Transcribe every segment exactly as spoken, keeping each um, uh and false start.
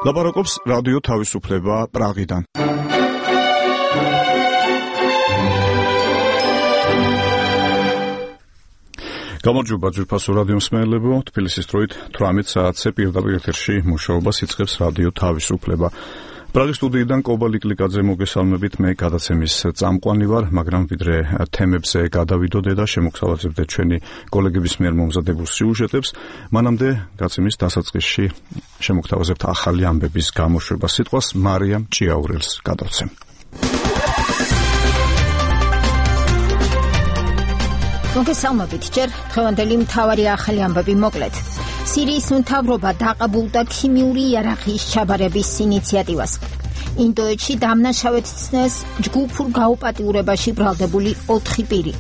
ლაპარაკობს რადიო თავისუფლება პრაღიდან. გამარჯობა ძვირფასო რადიო მსმენელებო, თბილისის დროით თვრამეტ საათზე პირდაპირ ეთერში მუშაობას იწყებს რადიო თავისუფლება. პრაღის სტუდიიდან კობა ლიკლიკაძე მოგესალმებით, მე გადაცემის წამყვანი ვარ, მაგრამ ვიდრე თემებზე გადავიდოდე და შემოგთავაზებდე ჩვენი კოლეგების მიერ მომზადებულ სიუჟეტებს, მანამდე გაცემის დასაწყისში შემოგთავაზებთ ახალი ამბების გამოშვებას. სიტყვას მარიამ ჭიაურელს გადავცემ. მოგესალმებით, ჯერ დღევანდელი მთავარი ახალი ამბები მოკლედ. სირიის მთავრობა დაყაბულდა ქიმიური იარაღის ჩაბარების ინიციატივას. ინდოეთში დამნაშავეცნეს ჯგუფურ გაუპატიურებაში ბრალდებული ოთხი პირი.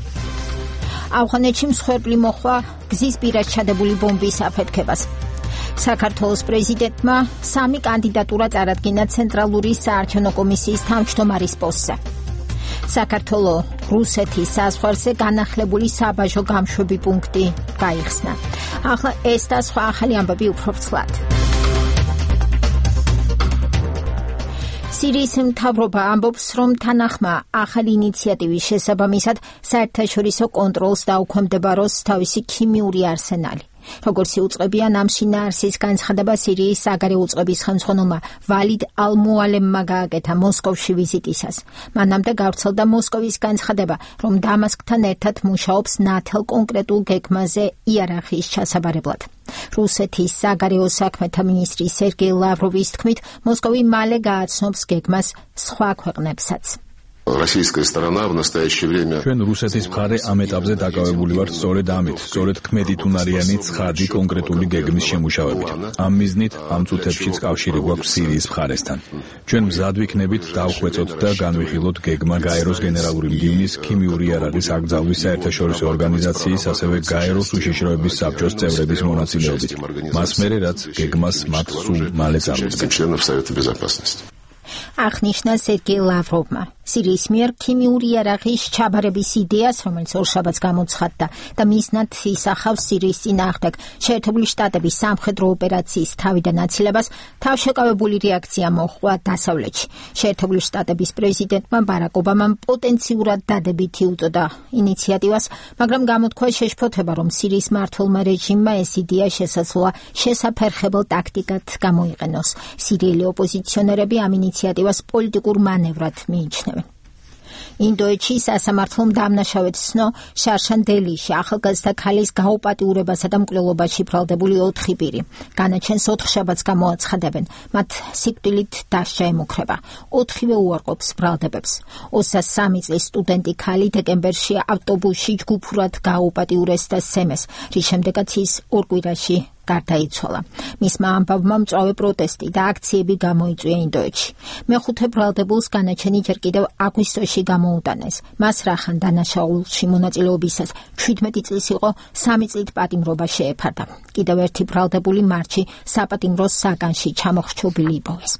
ავღანეთში მსხვერპლი მოხდა გზის პირას ჩადებული ბომბის აფეთქებას. საქართველოს პრეზიდენტმა სამი კანდიდატურა წარადგინა ცენტრალური საარჩევნო კომისიის თავმჯდომარის პოსტზე. საქართველოს რუსეთის საზღვარზე განახლებული საბაჟო გამშვები პუნქტი გაიხსნა. ახლა ეს და სხვა ახალი ამბები უფრო ვრცლად. სირიის მთავრობა ამბობს, რომ თანახმა ახალი ინიციატივის შესაბამისად საერთაშორისო კონტროლს დაუქვემდებაროს თავისი ქიმიური არსენალი. როგორც იუწყებიან ამ შინაარსის განცხადება სირიის საგარეო უწყების ხელმძღვანელმა ვალიდ ალ-მუალემმა გააკეთა მოსკოვში ვიზიტისას. მანამდე გავრცელდა მოსკოვის განცხადება, რომ დამასკთან ერთად მუშაობს ნათელ კონკრეტულ გეგმაზე იარაღის ჩასაბარებლად. რუსეთის საგარეო საქმეთა მინისტრი სერგეი ლავროვის თქმით, მოსკოვი მალე გააცნობს გეგმას სხვა ქვეყნებსაც. Российская сторона в настоящее время ჩვენ რუსეთის მხარე ამ ეტაპზე დაკავებული ვართ სწორედ ამით, სწორედ ქმედითუნარიანი ცხადი კონკრეტული გეგმის შემუშავებით. ამ მიზნით ამ წუთებშიც კავშირი გვაქვს სირიის მხარესთან. ჩვენ მზად ვიქნებით დავხვეწოთ და განვიხილოთ გეგმა გაეროს გენერალური მდივნის ქიმიური იარაღის აკრძალვის საერთაშორისო ორგანიზაციის, ასევე გაეროს უშიშროების საბჭოს წევრების მონაწილეობით. მას მერე რაც გეგმას მათ სულ მალე წარმოდგენს. აღნიშნა სერგეი ლავროვმა. სირიის მიერ ქიმიური იარაღის ჩაბარების იდეას, რომელიც ორშაბათს გამოცხადდა და მიზნად ისახავს სირიის წინააღმდეგ შეერთებული შტატების სამხედრო ოპერაციის თავიდან აცილებას, თავშეკავებული რეაქცია მოჰყვა დასავლეთში. შეერთებული შტატების პრეზიდენტმა ბარაკ ობამამ პოტენციურად დადებითი უწოდა ინიციატივას, მაგრამ გამოთქვა შეშფოთება, რომ სირიის მმართველმა რეჟიმმა ეს იდეა შესაძლოა შესაფერხებელ ტაქტიკად გამოიყენოს. სირიელი ოპოზიციონერები ამ ინიციატივას პოლიტიკურ მანევრად მიიჩნევენ. ინდოეთში სასამართლომ დამნაშავეცნო შარშან დელიში ახალგაზრდა ქალის გაუპატიურებასა და მკვლელობაში ბრალდებული ოთხი პირი. განაჩენს ოთხშაბათს გამოაცხადებენ. მათ სიკვდილით დასჯა ემუქრება. ოთხივე უარყოფს ბრალდებებს. ოცდაათი წლის სტუდენტი ქალი დეკემბერში ავტობუსში ჯგუფურად გააუპატიურეს და სემეს, რის შემდეგაც ის ორ კვირაში გარდაიცვალა. მისმა ამბავმა მწვავე პროტესტი და აქციები გამოიწვია ინდოეთში. მეხუთე ბრალდებულს განაჩენი ჯერ კიდევ აგვისტოში გამოუტანეს. მას რახან დანაშაულში მონაწილეობისას შვიდმეტი წლის იყო, სამი წლით პატიმრობა შეეფარდა. კიდევ ერთი ბრალდებული მარტში საპატიმრო საგანში ჩამოხრჩობილი იპოვეს.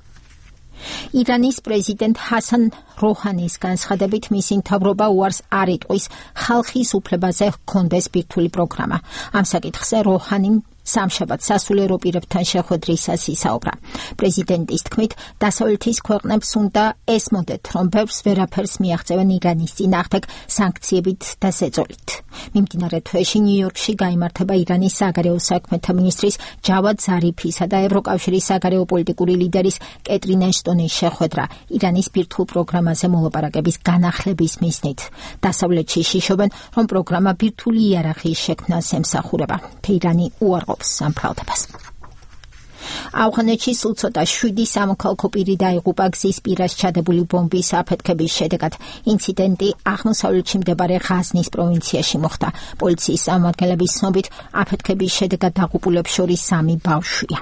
ირანის პრეზიდენტ ჰასან როჰანის განცხადებით მისი მთავრობა უარს არ იტყვის ხალხის უფლებაზე ჰქონდეს ბირთვული პროგრამა. ამ საკითხზე როჰანიმ სამშაბათს სასულიერო პირებთან შეხვედრისას ისაუბრა. პრეზიდენტის თქმით, დასავლეთის ქვეყნებს უნდა ესმოდეთ, რომ ბევრს ვერაფერს მიაღწევენ ირანის წინააღმდეგ სანქციებით და ზეწოლით. მიმდინარე თვეში ნიუ-იორკში გაიმართება ირანის საგარეო საქმეთა მინისტრის ჯავად ზარიფისა და ევროკავშირის საგარეო პოლიტიკური ლიდერის კეტრინ ეშტონის შეხვედრა ირანის ბირთვულ პროგრამაზე მოლაპარაკების განახლების მიზნით. დასავლეთში შიშობენ, რომ პროგრამა ბირთვული იარაღის შექმნას ემსახურება. თეირანი უარყოფს ამ ბრალდებას. ავღანეთში სულ ცოტა შვიდი სამოქალაქო პირი დაიღუპა გზის პირას ჩადებული ბომბის აფეთქების შედეგად. ინციდენტი აღმოსავლეთში მდებარე ღაზნის პროვინციაში მოხდა. პოლიციის წარმომადგენლების ცნობით, აფეთქების შედეგად დაღუპულებს შორის სამი ბავშვია.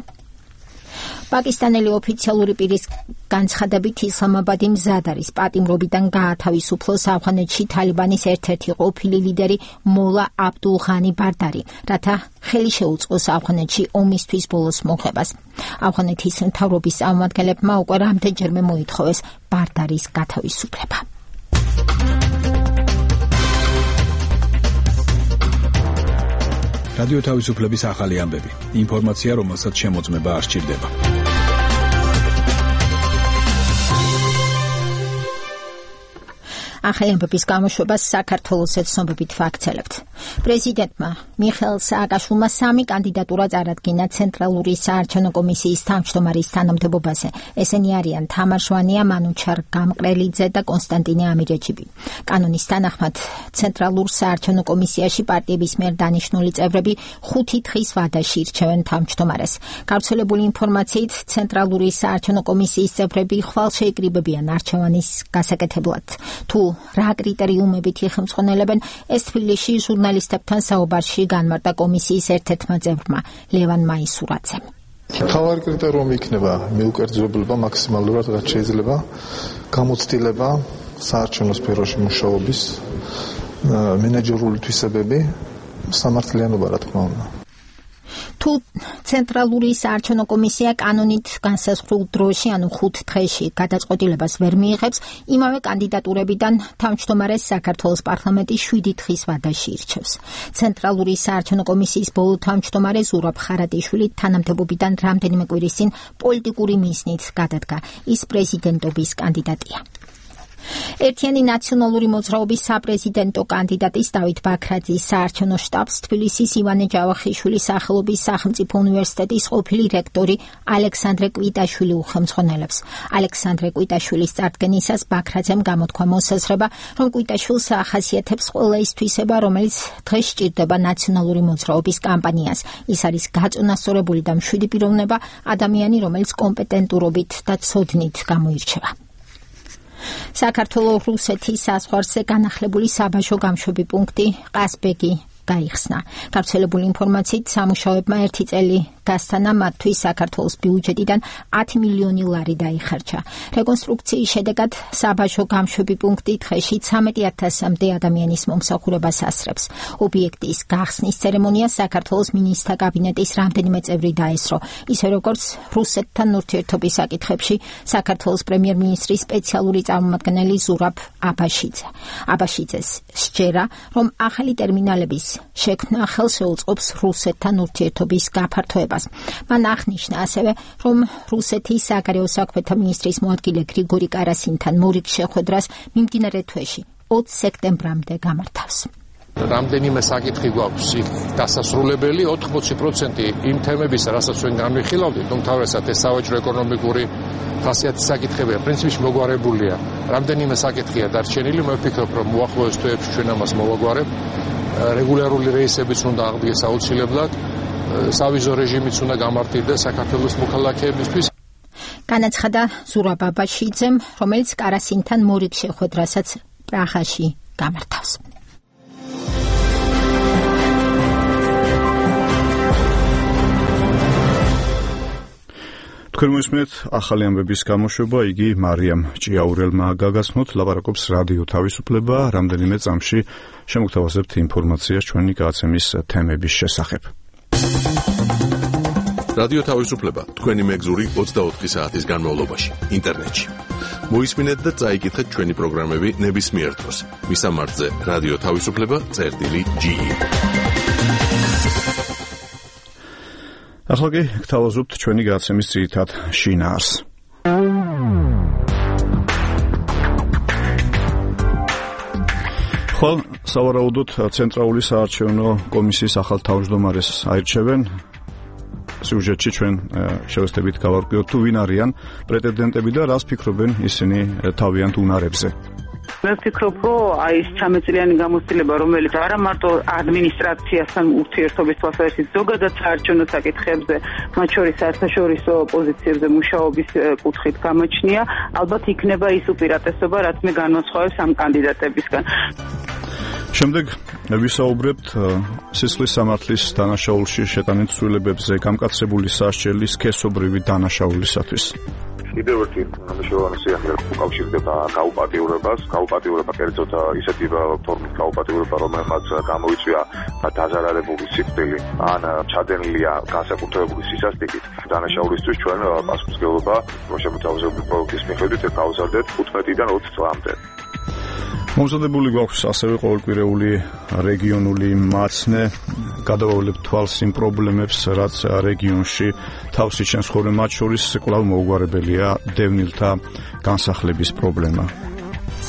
პაკისტანელი ოფიციალური პირის განცხადებით ისლამაბადი მზად არის პატიმრობიდან გაათავისუფლოს ავღანეთში თალიბანის ერთ-ერთი ყოფილი ლიდერი მოლა აბდულ ღანი ბარდარი, რათა ხელი შეუწყოს ავღანეთში ომისთვის ბოლოს მოხებას. ავღანეთის მთავრობის წარმომადგენლებმა უკვე რამდენჯერმე მოითხოვეს ბარდარის გათავისუფლება. რადიო თავისუფლების ახალი ამბები. ინფორმაცია, რომელსაც შემოწმება არ სჭირდება. ახალი ამბების გამოშვებას საქართველოს ეთნობებით ვაქცელებთ. პრეზიდენტმა მიხეილ სააკაშვილმა სამი კანდიდატურა წარადგინა ცენტრალური საარჩევნო კომისიის თავმჯდომარის თანამდებობაზე. ესენი არიან თამარ შვანია, მანუჩარ გამყრელიძე და კონსტანტინე ამირეჯიბი. კანონის თანახმად ცენტრალურ საარჩევნო კომისიაში პარტიების მიერ დანიშნული წევრები ხუთი დღის ვადაში ირჩევენ თავმჯდომარეს. გავრცელებული ინფორმაციით, ცენტრალური საარჩევნო კომისიის წევრები ხვალ შეიკრიბებიან არჩევანის გასაკეთებლად. თუ რა კრიტერიუმებით იხმძღონელებენ, ეს თბილისში ჟურნალისტებთან საუბარში განმარტა კომისიის ერთ-ერთმა წევრმა, ლევან მაისურაძემ. მთავარი კრიტერიუმი იქნება მიუკერძოებლობა მაქსიმალურად რაც შეიძლება, გამოცდილება საარჩევნო სფეროში მუშაობის, მენეჯერული თვისებები, სამართლიანობა რა თქმა უნდა. თუ ცენტრალური საარჩევნო კომისია კანონით განსაზღვრულ დროში, ანუ ხუთ დღეში გადაწყვეტილებას ვერ მიიღებს, იმავე კანდიდატურებიდან თავმჯდომარეს საქართველოს პარლამენტი შვიდი დღის ვადაში ირჩევს. ცენტრალური საარჩევნო კომისიის ბოლო თავმჯდომარე ზურაბ ხარატიშვილი თანამდებობიდან რამდენიმე კვირის წინ პოლიტიკური მიზნით გადადგა. ის პრეზიდენტობის კანდიდატია. ერთიანი ნაციონალური მოძრაობის საპრეზიდენტო კანდიდატის დავით ბაქრაძის საარჩევნო შტაბს თბილისის ივანე ჯავახიშვილის სახელობის სახელმწიფო უნივერსიტეტის ყოფილი რექტორი ალექსანდრე კვიტაშვილი უხელმძღვანელებს. ალექსანდრე კვიტაშვილის წარდგენისას ბაქრაძემ გამოთქვა მოსაზრება, რომ კვიტაშვილს ახასიათებს ყველა ის თვისება, რომელიც დღეს სჭირდება ნაციონალური მოძრაობის კამპანიას. ის არის გაწონასწორებული და მშვიდი პიროვნება, ადამიანი, რომელიც კომპეტენტურობით და ცოდნით გამოირჩევა. საქართველოს რუსეთის საზღვარზე განახლებული საბაჟო გამშვები პუნქტი ყაზბეგი გაიხსნა. გავრცელებული ინფორმაციით, სამუშაოებმა ერთი წელი გასტანა, მათთვის საქართველოს ბიუჯეტიდან ათი მილიონი ლარი დაიხარჯა. რეკონსტრუქციის შედეგად საბაჟო გამშვები პუნქტი დღეში ცამეტი ათასამდე ადამიანის მომსახურებას ასრებს. ობიექტის გახსნის ცერემონიას საქართველოს მინისტრთა კაბინეტის რამდენიმე წევრი დაესწრო, ისე როგორც რუსეთთან ურთიერთობის საკითხებში საქართველოს პრემიერ-მინისტრის სპეციალური წარმომადგენელი ზურაბ აბაშიძე. აბაშიძეს სჯერა, რომ ახალი ტერმინალების შექმნა ხელს შეუწყობს რუსეთთან ურთიერთობის გაფართოებას. მან აღნიშნა ასევე, რომ რუსეთის საგარეო საქმეთა მინისტრის მოადგილე გრიგორი კარასინთან მორიგ შეხვედრას მიმდინარე თვეში ოცი სექტემბრამდე გამართავს. რამდენიმე საკითხი გვაქვს დასასრულებელი, ოთხმოცი პროცენტი იმ თემებისა, რასაც ჩვენ განვიხილავდით, უმთავრესად ეს სავაჭრო ეკონომიკური ხასიათის საკითხებია, პრინციპში მოგვარებულია. რამდენიმე საკითხია დარჩენილი, მე ვფიქრობ, რომ უახლოეს თვეებში ჩვენ ამას მოვაგვარებ. რეგულარული რეისებიც უნდა აღდგეს აუცილებლად, სავიზო რეჟიმიც უნდა გამართლდეს საქართველოს მოქალაქეებისთვის. განაცხადა ზურაბ აბაშიძემ, რომელიც კარასინთან მორიგ შეხვედრასაც პრაღაში გამართავს. თქვენ მოისმენთ ახალი ამბების გამოშვება, იგი მარიამ ჭიაურელმა გაგაცნოთ, ლაპარაკობს რადიო თავისუფლება, რამდენიმე წამში შემოგთავაზებთ ინფორმაციას ჩვენი გადაცემის თემების შესახებ. რადიო თავისუფლება თქვენი მეგზური ოცდაოთხი საათის განმავლობაში ინტერნეტში. მოისმინეთ და წაიკითხეთ ჩვენი პროგრამები ნებისმიერ დროს. მისამართზე რადიო თავისუფლება წერტილი ჯი. ახლა კი გთავაზობთ ჩვენი გადაცემის ძირითად შინაარს. ხვალ სავარაუდოდ ცენტრალური საარჩევნო კომისიის ახალ თავმჯდომარეს აირჩევენ. სიუჟეტში ჩვენ შევეცდებით გავარკვიოთ, თუ ვინ არიან პრეტენდენტები და რას ფიქრობენ ისინი თავიანთ უნარებზე. მე ვფიქრობ, რომ აი ეს ჩამეწლიანი გამოცდილება, რომელიც არა მარტო ადმინისტრაციასთან ურთიერთობის თვალსაზრისით, ზოგადად საარჩევნო საკითხებზე, მათ შორის საერთაშორისო პოზიციებზე მუშაობის კუთხით გამოჩნია, ალბათ იქნება ის უპირატესობა, რაც მე განვასხვავებს ამ კანდიდატებისგან. შემდეგ ვისაუბრებთ სისხლის სამართლის დანაშაულში შეტანილ ცვლილებებზე, გამკაცებული სასჯელი სქესობრივი დანაშაულისათვის. კიდევ ერთი მნიშვნელოვანი სიახლე უკავშირდება გაუპატიურებას, გაუპატიურება კერძოდ ისეთი ფორმის გაუპატიურება, რომელმაც გამოიწვია დაზარალებული სიკვდილი ან ჩადენილია განსაკუთრებული სისასტიკით. დანაშაულისთვის ჩვენ პასუხისმგებლობა შემოთავაზებული პროექტის მიხედვით გავზარდეთ თხუთმეტიდან ოცი წლამდე. მომზადებული გვაქვს ასევე ყოველკვირეული რეგიონული მაცნე, გადავავლებთ თვალს იმ პრობლემებს, რაც რეგიონში თავს იჩენს ხოლმე, მათ შორის კვლავ მოუგვარებელია დევნილთა განსახლების პრობლემა.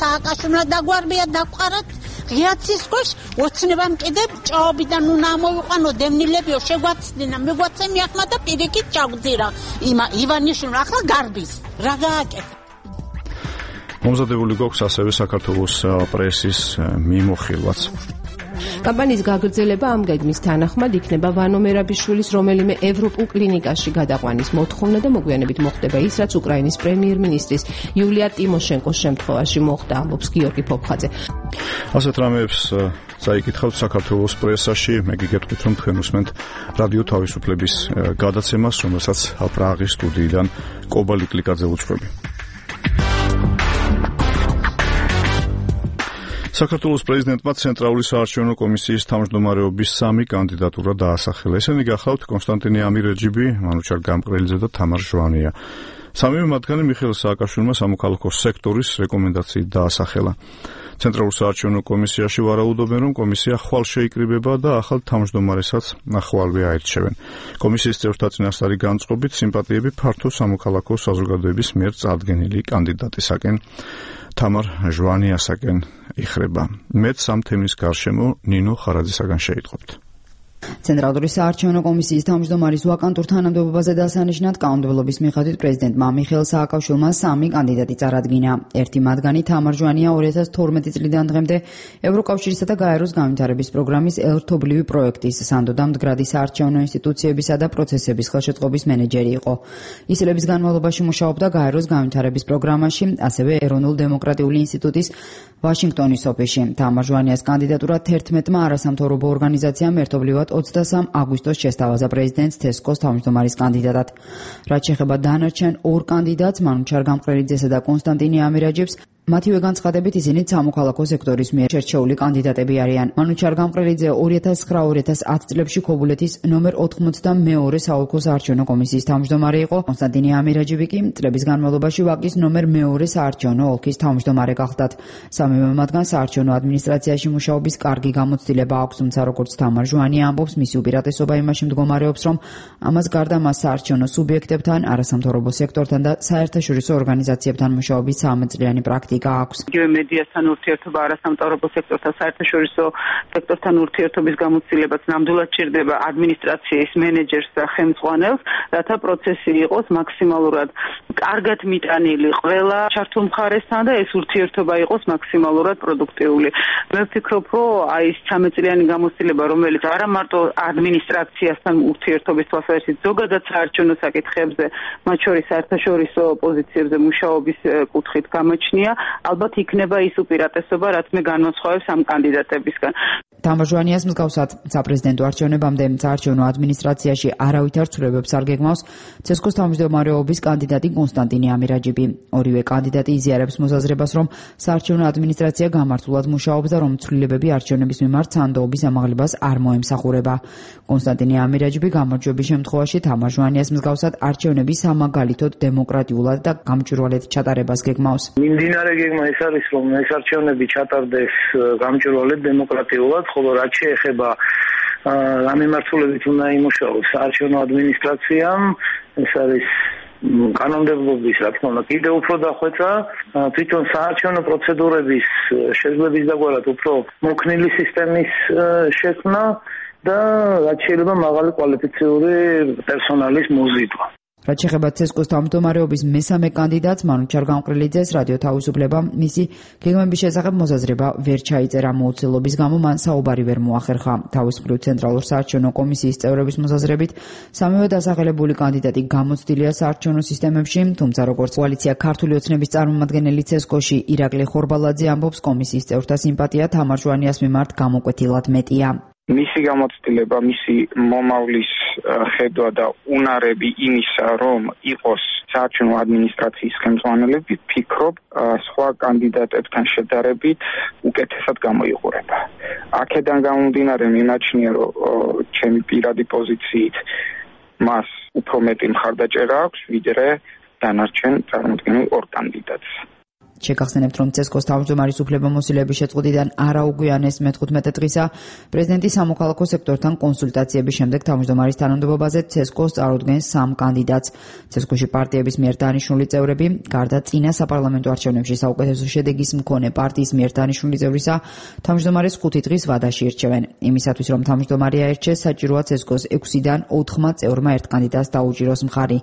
სააკაშვილმა დაგვარბია დაყარათ ღიაცის ქვეშ ოცნებამ კიდე ჭაობიდან უნდა ამოვიყვანო დევნილებიო შეგვაცდინა მეგვაცემი ახლა და პირიქით ჩაგძირა იმა ივანიშვილმა ახლა გარბის რა გააკეთა მომზადებული გვაქვს ასევე საქართველოს პრესის მიმოხილვაც. კამპანიის გაგრძელება ამ გეგმის თანახმად იქნება ვანო მერაბიშვილის რომელიმე ევროპულ კლინიკაში გადაყვანის მოთხოვნა და მოგვიანებით მოხდება ის, რაც უკრაინის პრემიერ-მინისტრის იულია ტიმოშენკოს შემთხვევაში მოხდა, ამბობს გიორგი ფოფხაძე. ასეთ რამეებს წაიკითხავთ საქართველოს პრესაში, მე გიგეთქვით, რომ თქვენ უსმენთ რადიო თავისუფლების გადაცემას, რომელსაც პრაღის სტუდიიდან კობა ლიკლიკაძე უძღვები. საქართველოს პრეზიდენტმა ცენტრალური საარჩევნო კომისიის თავმჯდომარეობის სამი კანდიდატურა დაასახელა. ესენი გახლავთ კონსტანტინე ამირეჯიბი, მანუჩარ გამყრელიძე და თამარ ჟვანია. სამივე მათგანი მიხეილ სააკაშვილმა სამოქალაქო სექტორის რეკომენდაციით დაასახელა. ცენტრალურ საარჩევნო კომისიაში ვარაუდობენ, რომ კომისია ხვალ შეიკრიბება და ახალ თავმჯდომარესაც ხვალვე აირჩევენ. კომისიის წევრთა წინასწარი განწყობით სიმპათიები ფართო სამოქალაქო საზოგადოების მიერ წარდგენილი კანდიდატისაკენ თამარ ჟვანიასაკენ იხრება. მეც ამ თემის გარშემო ნინო ხარაძისაგან შეიტყობთ. ცენტრალური საარჩევნო კომისიის თავმჯდომარის ვაკანტურ თანამდებობაზე დასანიშნად კანონმდებლობის მიხედვით პრეზიდენტმა მიხეილ სააკაშვილმა სამი კანდიდატი წარადგინა. ერთი მათგანი თამარ ჟვანია ორი ათას თორმეტი წლიდან დღემდე ევროკავშირისა და გაეროს განვითარების პროგრამის ერთობლივი პროექტის სანდო და მდგრადი საარჩევნო ინსტიტუციებისა და პროცესების ხელშეწყობის მენეჯერი იყო. ის წლების განმავლობაში მუშაობდა გაეროს განვითარების პროგრამაში, ასევე ეროვნულ დემოკრატიული ინსტიტუტის ვაშინგტონის ოფისში. თამარ ჟვანიას კანდიდატურა თერთმეტმა არასამთავრობო ორგანიზაციამ ერთობლივად ოცდასამ აგვისტოს შესთავაზა პრეზიდენტს თესკოს თავმჯდომარის კანდიდატად. რაც შეეხება დანარჩენ ორ კანდიდატს, მანუჩარ გამყრელიძესა და კონსტანტინე ამირაჯიბს, მათივე განცხადებით ისინი სამოქალაქო სექტორის მიერ შერჩეული კანდიდატები არიან. მანუჩარ გამყრელიძე ორი ათას ცხრა ორი ათას ათი წლებში ქობულეთის ნომერ ოთხმოცდამეორე საოლქო საარჩევნო კომისიის თავმჯდომარე იყო. კონსტანტინე ამირაჯიბი კი წლების განმავლობაში ვაკის ნომერ მეორე საარჩევნო ოლქის თავმჯდომარე გახლდათ. სამივე მათგან საარჩევნო ადმინისტრაციაში მუშაობის კარგი გამოცდილება აქვს, თუმცა როგორც თამარ ჟვანია ამბობს, მისი უპირატესობა იმაში მდგომარეობს, რომ ამას გარდა მას საარჩევნო სუბიექტებთან, არასამთავრობო სექტორთან და საერთაშორისო ორგანიზაციებთან მუშაობის სამწლიანი პრაქტიკა აქვს. იგივე მედიასთან ურთიერთობა, არასამთავრობო სექტორთან, საერთაშორისო სექტორთან ურთიერთობის გამოცდილებაც ნამდვილად ჭირდება ადმინისტრაციის მენეჯერს და ხელმძღვანელს, რათა პროცესი იყოს მაქსიმალურად კარგად მიტანილი ყველა ჩართულ მხარესთან და ეს ურთიერთობა იყოს მაქსიმალურად პროდუქტიული. მე ვფიქრობ, რომ აი ეს ცხრამეტ წლიანი გამოცდილება, რომელიც არა მარტო ადმინისტრაციასთან ურთიერთობის თვალსაზრისით, ზოგადად საარჩევნო საკითხებზე, მათ შორის საერთაშორისო პოზიციებზე მუშაობის კუთხით გამოჩნია, ალბათ იქნება ის უპირატესობა, რაც მე განვასხვავებს ამ კანდიდატებისგან. თამარ ჟვანიას მსგავსად საპრეზიდენტო არჩევნებამდე საარჩევნო ადმინისტრაციაში არავითარ ცვლილებებს არ გეგმავს ცესკოს თავმჯდომარეობის კანდიდატი კონსტანტინე ამირაჯიბი. ორივე კანდიდატი იზიარებს მოსაზრებას, რომ საარჩევნო ადმინისტრაცია გამართულად მუშაობს და რომ ცვლილებები არჩევნების მიმართ სანდოობის ამაღლებას არ მოემსახურება. კონსტანტინე ამირაჯიბი გამარჯვების შემთხვევაში თამარ ჟვანიას მსგავსად არჩევნები სამაგალითოდ დემოკრატიულად და გამჭვირვალედ ჩატარებას გეგმავს. მიმდინარე გეგმა ეს არის, რომ ეს არჩევნები ჩატარდეს გამჭვირვალედ დემოკრატიულად, ხოლო რაც შეეხება ამ მიმართულებით უნდა იმუშაოს საარჩევნო ადმინისტრაციამ, ეს არის კანონმდებლობის, რა თქმა უნდა, კიდევ უფრო დახვეწა, თვითონ საარჩევნო პროცედურების შეძლების დაგვარად უფრო მოქნილი სისტემის შექმნა და რაც შეიძლება მაღალი კვალიფიციური პერსონალის მოზიდვა. რაც შეეხება ცესკოს თავმჯდომარეობის მესამე კანდიდატს, მანუჩარ გამყრელიძეს, რადიო თავისუფლებამ მისი გეგმების შესახებ მოსაზრება ვერ ჩაიწერა. მოუცილობის გამო მან საუბარი ვერ მოახერხა. თავის მხრივ ცენტრალურ საარჩევნო კომისიის წევრების მოსაზრებით, სამივე დასახელებული კანდიდატი გამოცდილია საარჩევნო სისტემებში, თუმცა როგორც კოალიცია ქართული ოცნების წარმომადგენელი ცესკოში ირაკლი ხორბალაძე ამბობს, კომისიის წევრთა სიმპათია თამარ ჟვანიას მიმართ გამოკვეთილად მეტია. მისი გამოცდილება, მისი მომავლის ხედვა და უნარები იმისა, რომ იყოს საარჩევნო ადმინისტრაციის ხელმძღვანელები, ფიქრობ, სხვა კანდიდატებთან შედარებით უკეთესად გამოიყურება. აქედან გამომდინარე მიმაჩნია, რომ ჩემი პირადი პოზიციით მას უფრო მეტი მხარდაჭერა აქვს, ვიდრე დანარჩენ წარმოდგენილ ორ კანდიდატს. შეგახსენებთ, რომ ცესკოს თავმჯდომარის უფლებამოსილების შეწყვეტიდან არაუგვიანეს მეთხუთმეტე დღისა პრეზიდენტი სამოქალაქო სექტორთან კონსულტაციების შემდეგ თავმჯდომარის თანამდებობაზე ცესკოს წარუდგენს სამ კანდიდატს. ცესკოში პარტიების მიერ დანიშნული წევრები, გარდა წინა საპარლამენტო არჩევნებში საუკეთესო შედეგის მქონე პარტიის მიერ დანიშნული წევრისა, თავმჯდომარეს ხუთი დღის ვადაში ირჩევენ. იმისათვის, რომ თავმჯდომარე აერჩეს, საჭიროა ცესკოს ექვსიდან ოთხმა წევრმა ერთ კანდიდატს დაუჭიროს მხარი.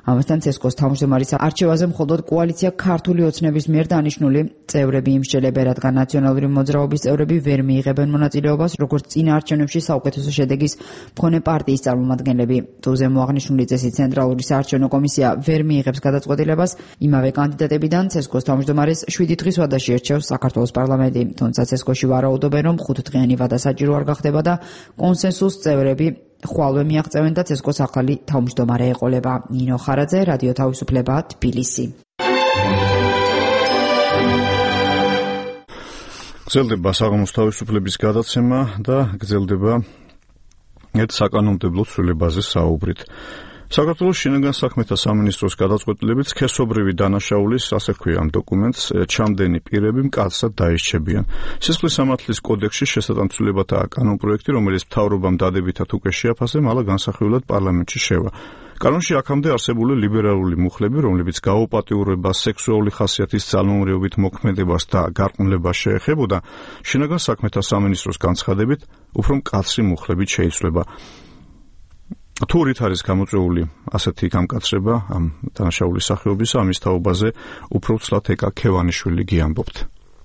ამასთან ცესკოს თავმჯდომარის არჩევაზე მხოლოდ კოალიცია ქართული ოცნების მიერ დანიშნული წევრები იმსჯელებენ, რადგან ნაციონალური მოძრაობის წევრები ვერ მიიღებენ მონაწილეობას, როგორც წინა არჩევნებში საუკეთესო შედეგის მქონე პარტიის წარმომადგენლები. თუ ზემო აღნიშნული წესით ცენტრალური საარჩევნო კომისია ვერ მიიღებს გადაწყვეტილებას, იმავე კანდიდატებიდან ცესკოს თავმჯდომარეს შვიდი დღის ვადაში ირჩევს საქართველოს პარლამენტი. თუმცა ცესკოში ვარაუდობენ, რომ ხუთდღიანი ვადა საჭირო არ გახდება და კონსენსუს წევრები ხვალვე მიაღწევენ და ცესკოს ახალი თავმჯდომარე ეყოლება. ნინო ხარაძე, რადიო თავისუფლება, თბილისი. გრძელდება საღამოს თავისუფლების გადაცემა და გრძელდება ერთ საკანონმდებლო ცვლილებაზე საუბრით. საქართველოს შინაგან საქმეთა სამინისტროს გადაწყვეტილებით სქესობრივი დანაშაულის, ასე ჰქვია ამ დოკუმენტს, ჩამდენი პირები მკაცრად დაირჩებიან. სისხლის სამართლის კოდექსში შესატანცვლილებათა კანონპროექტი, რომელიც მთავრობამ დადებითად უკვე შეაფასე, მალა განსახილველად პარლამენტში შევა. კანონში აქამდე არსებული ლიბერალური მუხლები, რომლებიც გაუპატიურებას, სექსუალური ხასიათის ძალმომრიობით მოქმედებას და გარყვნილებას შეეხებოდა, შინაგან საქმეთა სამინისტროს განცხადებით, უფრო მკაცრი მუხლებით შეიცვლება. თუ რით არის გამოწვეული ასეთი გამკაცრება ამ დანაშაულის სახეობისა, ამის თაობაზე უფრო ცლად ეკა ქევანიშვილი გიამბობთ.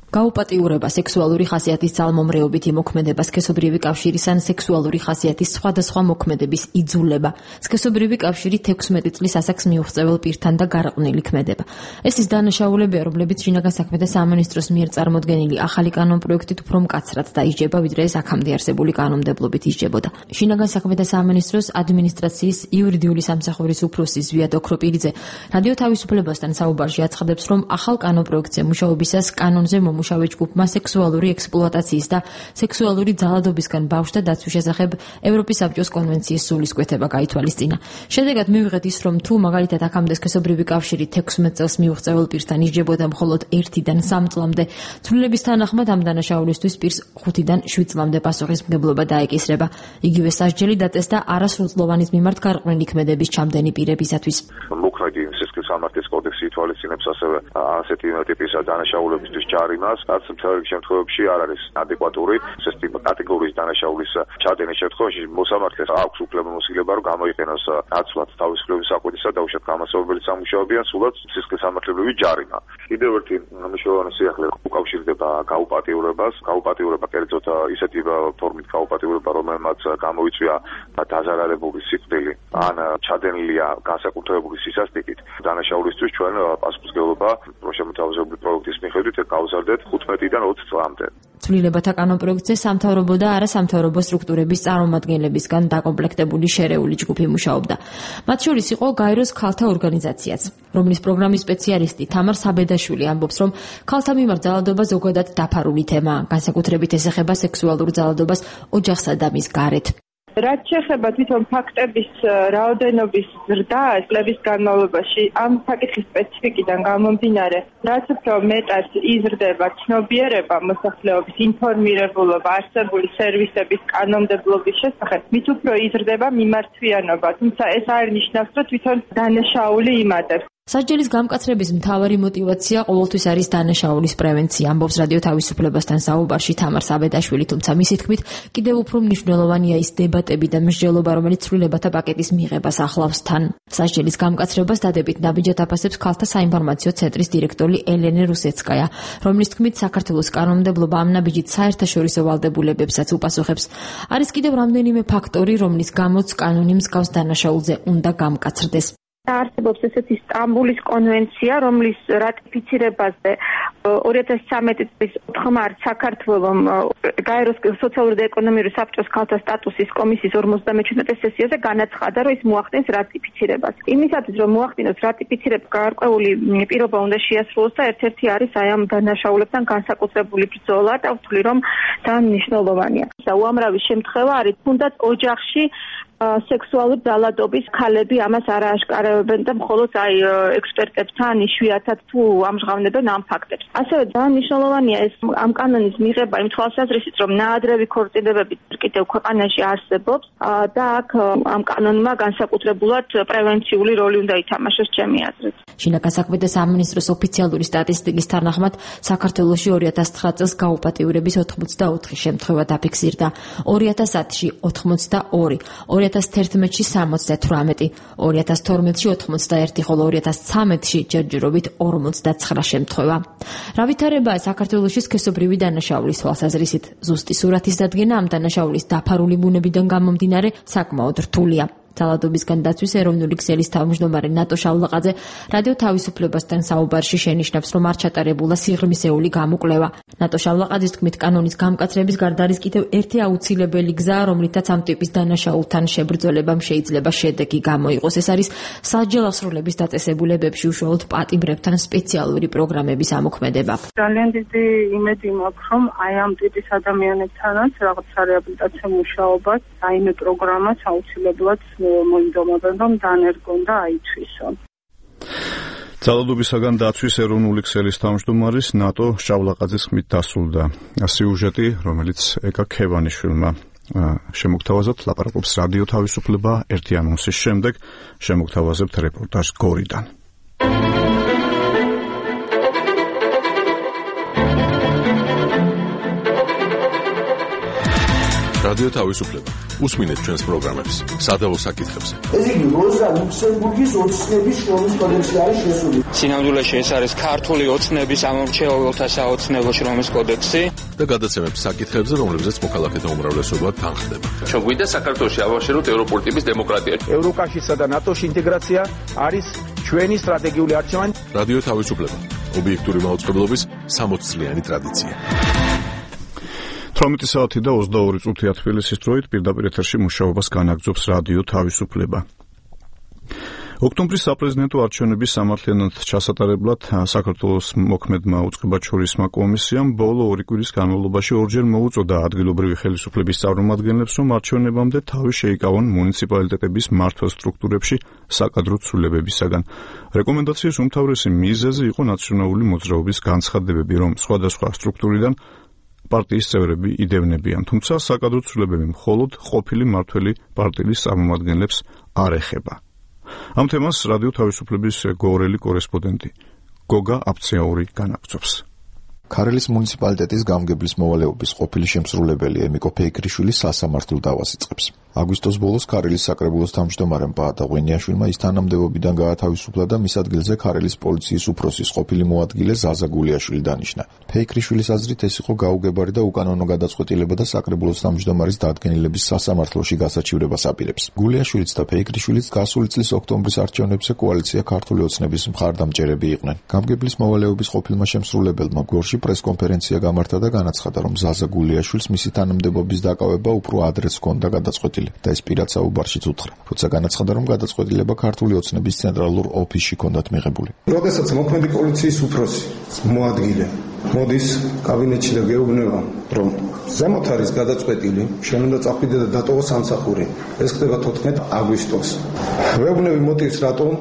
გაუპატიურება, სექსუალური ხასიათის ძალმომრეობით იმოქმედება, სქესობრივი კავშირის ან სექსუალური ხასიათის სხვადასხვა მოქმედების იძულება. სქესობრივი კავშირი თექვსმეტი წლის ასაკს მიუღწეվել პირთან და გარყვნილი ქმედება. ეს ის დანაშაულებია, რომლებიც შინაგან საქმეთა სამინისტროს მიერ წარმოდგენილი ახალი კანონპროექტით უფრო მკაცრად დაიჯება, ვიდრე ეს აქამდე არსებული კანონმდებლობით ისჯებოდა. შინაგან საქმეთა სამინისტროს ადმინისტრაციის იურიდიული სამსახურის უფროსი ზვიად ოქროპირიძე რადიო თავისუფლებასთან საუბარში აცხადებს, რომ ახალ კანონპროექტზე მუშაობისას კანონზე მუშავე ჯგუფმა სექსუალური ექსპლუატაციის და სექსუალური ძალადობისგან ბავშვთა დაცვის შესახებ ევროპის საბჭოს კონვენციის სულისკვეთება გაითვალისწინა. შედეგად მივიღეთ ის, რომ თუ მაგალითად აქამდე სქესობრივი კავშირი თექვსმეტ წელს მიუღწეվել პირთან ისჯებოდა მხოლოდ ერთიდან სამ წლამდე, ცვლილების თანახმად ამ დანაშაულისთვის პირს ხუთიდან შვიდ წლამდე პასუხისმგებლობა დაეკისრება. იგივე სასჯელი დაწესდა არასრულწლოვანის მიმართ გარყვნილი ქმედების ჩამდენი პირებისათვის. მოქმედი სისხლის სამართლის კოდექსი ითვალისწინებს ასევე ასეთი ტიპის დანაშაულებისთვის ჯარიმას, რაც მთელ შემთხვევებში არ არის ადეკვატური. ეს ტიპი კატეგორიის დანაშაულის ჩადენის შემთხვევაში მოსამართლეს აქვს უფლებამოსილება, რომ გამოიყენოს ნაცვლად თავისუფლების საკვეთისა და უშუალოდ გამასწავლებელი სამუშაოებიან სულაც სისხლის სამართლებრივი ჯარიმა. კიდევ ერთი მნიშვნელოვანი სიახლე უკავშირდება გაუპატიურებას. გაუპატიურება კერძოდ ისეთი ფორმით გაუპატიურება, რომელმაც გამოიწვია დაზარალებული სიკვდილი ან ჩადენილია განსაკუთრებული სისასტიკით. დანაშაულისთვის ჩვენ პასუხისმგებლობა შემოთავაზებული პროექტის მიხედვით გავზარდეთ ხუთმეტიდან ოცი წლამდე. ცვლილებათა კანონპროექტზე სამთავრობო და არასამთავრობო სტრუქტურების წარმომადგენლებისგან დაკომპლექტებული შერეული ჯგუფი მუშაობდა. მათ შორის იყო გაეროს ქალთა ორგანიზაციაც, რომლის პროგრამის სპეციალისტი თამარ საბედაშვილი ამბობს, რომ ქალთა მიმართ ძალადობა ზოგადად დაფარული თემაა, განსაკუთრებით ეს ეხება სექსუალურ ძალადობას ოჯახსა და მის გარეთ. რაც შეეხება თვითონ ფაქტების რაოდენობის ზრდას წლების განმავლობაში, ამ საკითხის სპეციფიკიდან გამომდინარე, რაც უფრო მეტად იზრდება ცნობიერება მოსახლეობის ინფორმირებულობა არსებული სერვისების კანონმდებლობის შესახებ, მით უფრო იზრდება მიმართვიანობა, თუმცა ეს არ ნიშნავს, რომ თვითონ დანაშაული იმატებს. სასჯელის გამკაცრების მთავარი мотиваცია ყოველთვის არის დანაშაულის პრევენცია, ამბობს რადიო თავისუფლებასთან საუბარში თამარ საბედაშვილი, თუმცა მისი თქმით, კიდევ უფრო მნიშვნელოვანია ის დებატები და მსჯელობა, რომელიც ცვლილებათა პაკეტის მიღებას ახლავს თან. სასჯელის გამკაცრებას დადებით ნაბიჯად აფასებს ქალთა საინფორმაციო ცენტრის დირექტორი ელენე რუსეცკაია, რომლის თქმით, საქართველოს კანონმდებლობა ამ ნაბიჯით საერთაშორისო ვალდებულებებსაც უპასუხებს. არის კიდევ რამდენიმე ფაქტორი, რომლის გამოც კანონი მსგავს დანაშაულზე უნდა გამკაცრდეს. არსებობს ესეთი სტამბულის კონვენცია, რომლის რატიფიცირებაზე ორი ათას ცხრამეტი წლის ოთხ მარტს საქართველოს გაეროს სოციალური და ეკონომიკური საბჭოს ქალთა სტატუსის კომისიის ორმოცდამეჩვიდმეტე სესიაზე განაცხადა, რომ ის მოახდენს რატიფიცირებას. იმისათვის, რომ მოახდინოს რატიფიცირება, გარკვეული პირობა უნდა შეასრულოს და ერთ-ერთი არის აი ამ დანაშაულებთან განსაკუთრებული ბრძოლა და ვთვლი, რომ ძალიან მნიშვნელოვანია. უამრავი შემთხვევა არის თუნდაც ოჯახში სექსუალური ძალადობის ქალები ამას არ ააშკარავებენ და მხოლოდ აი ექსპერტებთან იშვიათად თუ ამჟღავნებენ ამ ფაქტებს. ასევე ძალიან მნიშვნელოვანია ეს ამ კანონის მიღება იმ თვალსაზრისით, რომ ნაადრევი ქორწინებები კიდევ ქვეყანაში არსებობს და აქ ამ კანონმა განსაკუთრებულად პრევენციული როლი უნდა ითამაშოს ჩემი აზრით. შინაგან საქმეთა სამინისტროს ოფიციალური სტატისტიკის თანახმად საქართველოში ორი ათას ცხრა წელს გაუპატიურების ოთხმოცდაოთხი შემთხვევა დაფიქსირდა, ორი ათას ათში ოთხმოცდაორი, ორი ათას თერთმეტში სამოცდათვრამეტი, ორი ათას თორმეტში ოთხმოცდაერთი, ხოლო ორი ათას ცხრამეტში ჯერჯერობით ორმოცდაცხრა შემთხვევა. რა ვითარებაა საქართველოში სქესობრივი დანაშაულის თვალსაზრისით? ზუსტი სურათის დადგენა ამ დანაშაულის დაფარული ბუნებიდან გამომდინარე საკმაოდ რთულია. ძალადობისგან დაცვის ეროვნული ქსელის თავმჯდომარე ნატო შავლაყაძე რადიო თავისუფლებასთან საუბარში შენიშნავს, რომ არ ჩატარებულა სიღრმისეული გამოკვლევა. ნატო შავლაყაძის თქმით, კანონის გამკაცრების გარდა არის კიდევ ერთი აუცილებელი გზა, რომლითაც ამ ტიპის დანაშაულთან შებრძოლებამ შეიძლება შედეგი გამოიყოს. ეს არის სასჯელ ასრულების დაწესებულებებში უშუალოდ პატიმრებთან სპეციალური პროგრამების ამოქმედება. ძალიან დიდი იმედი მაქვს, რომ აი ამ ტიპის ადამიანებთანაც რაღაც რეაბილიტაციო მუშაობას, რაიმე პროგრამას აუცილებლად მოინდომებენ, რომ დანერგონ და აიცვისონ. ძალადობისაგან დაცვის ეროვნული ქსელის თავმჯდომარის ნატო შავლაყაძის ხმით დასრულდა სიუჟეტი, რომელიც ეკა ქევანიშვილმა შემოგთავაზებთ. ლაპარაკობს რადიო თავისუფლება ერთი ანონსის შემდეგ. შემოგთავაზებთ რეპორტაჟს გორიდან. რადიო თავისუფლება. უსმინეთ ჩვენს პროგრამებს სადავო საკითხებზე. ეს იგი როზა ლუქსემბურგის ოცნების შრომის კოდექსი არის შესული. სინამდვილეში ეს არის ქართული ოცნების ამორჩეულთა საოცნებო შრომის კოდექსი და გადაცემებს საკითხებზე, რომლებზეც მოქალაქეთა უმრავლესობა თანხდება. ჩვენ გვინდა საქართველოში ავაშეროთ ევროპული ტიპის დემოკრატია. ევროკავშირსა და ნატოში ინტეგრაცია არის ჩვენი სტრატეგიული არჩევანი. რადიო თავისუფლება. ობიექტური მაუწყებლობის სამოც წლიანი ტრადიცია. თვრამეტი საათი და ოცდაორი წუთია თბილისის დროით პირდაპირ ეთერში მუშაობას განაგრძობს რადიო თავისუფლება. ოქტომბრის საპრეზიდენტო არჩევნების სამართლიანად ჩასატარებლად საქართველოს მოქმედმა უწყებაჩორისმა კომისიამ ბოლო ორი კვირის განმავლობაში ორჯერ მოუწოდა ადგილობრივი ხელისუფლების წარმომადგენლებს, რომ არჩევნებამდე თავი შეიკავონ მუნიციპალიტეტების მმართველ სტრუქტურებში საკადრო ცვლილებებისაგან. რეკომენდაციის უმთავრესი მიზეზი იყო ნაციონალური მოძრაობის განცხადებები, რომ სხვადასხვა სტრუქტურიდან პარტიის წევრები იდევნებიან, თუმცა საკადრო ცვლილებები მხოლოდ ყოფილი მმართველი პარტიის წარმომადგენლებს არ ეხება. ამ თემას რადიო თავისუფლების გორელი კორესპონდენტი გოგა აფცეაური განაგრძობს. ქარელის მუნიციპალიტეტის გამგებლის მოვალეობის ყოფილი შემსრულებელი ემიკო ფეიქრიშვილი სასამართლო დავას იწყებს. აგვისტოს ბოლოს ქარელის საკრებულოს თავმჯდომარემ პაატა ღვინიაშვილმა ის თანამდებობიდან გაათავისუფლა და მის ადგილზე ქარელის პოლიციის უფროსის ყოფილი მოადგილე ზაზა გულიაშვილი დანიშნა. ფეიქრიშვილის აზრით ეს იყო გაუგებარი და უკანონო გადაწყვეტილება და საკრებულოს თავმჯდომარის დადგენილების სასამართლოში გასაჩივრებას აპირებს. გულიაშვილიც და ფეიქრიშვილიც გასული წლის ოქტომბრის არჩევნებზე კოალიცია ქართული ოცნების მხარდამჭერები იყვნენ. გამგებლის მოვალეობის ყოფილმა შემსრულებელმა გორში პრესკონფერენცია გამართა და განაცხადა, რომ ზაზა გულიაშვილს მისი თანამდებობის დაკავება უფრო ადრეც ჰქონდა გადაწყვეტილი და ეს პირად საუბარშიც უთხრა. თუმცა განაცხადა, რომ გადაწყვეტილება ქართული ოცნების ცენტრალურ ოფისში ჰქონდათ მიღებული. როდესაც მოქმედი პოლიციის უფროსი მოადგილე მოდის კაბინეტში და გეუბნება, რომ ზემოთ არის გადაწყვეტილი, შენ უნდა წახვიდე და დატოვო სამსახური. ეს ხდება თოთხმეტი აგვისტოს. ვეუბნები მოტივს, რატომ,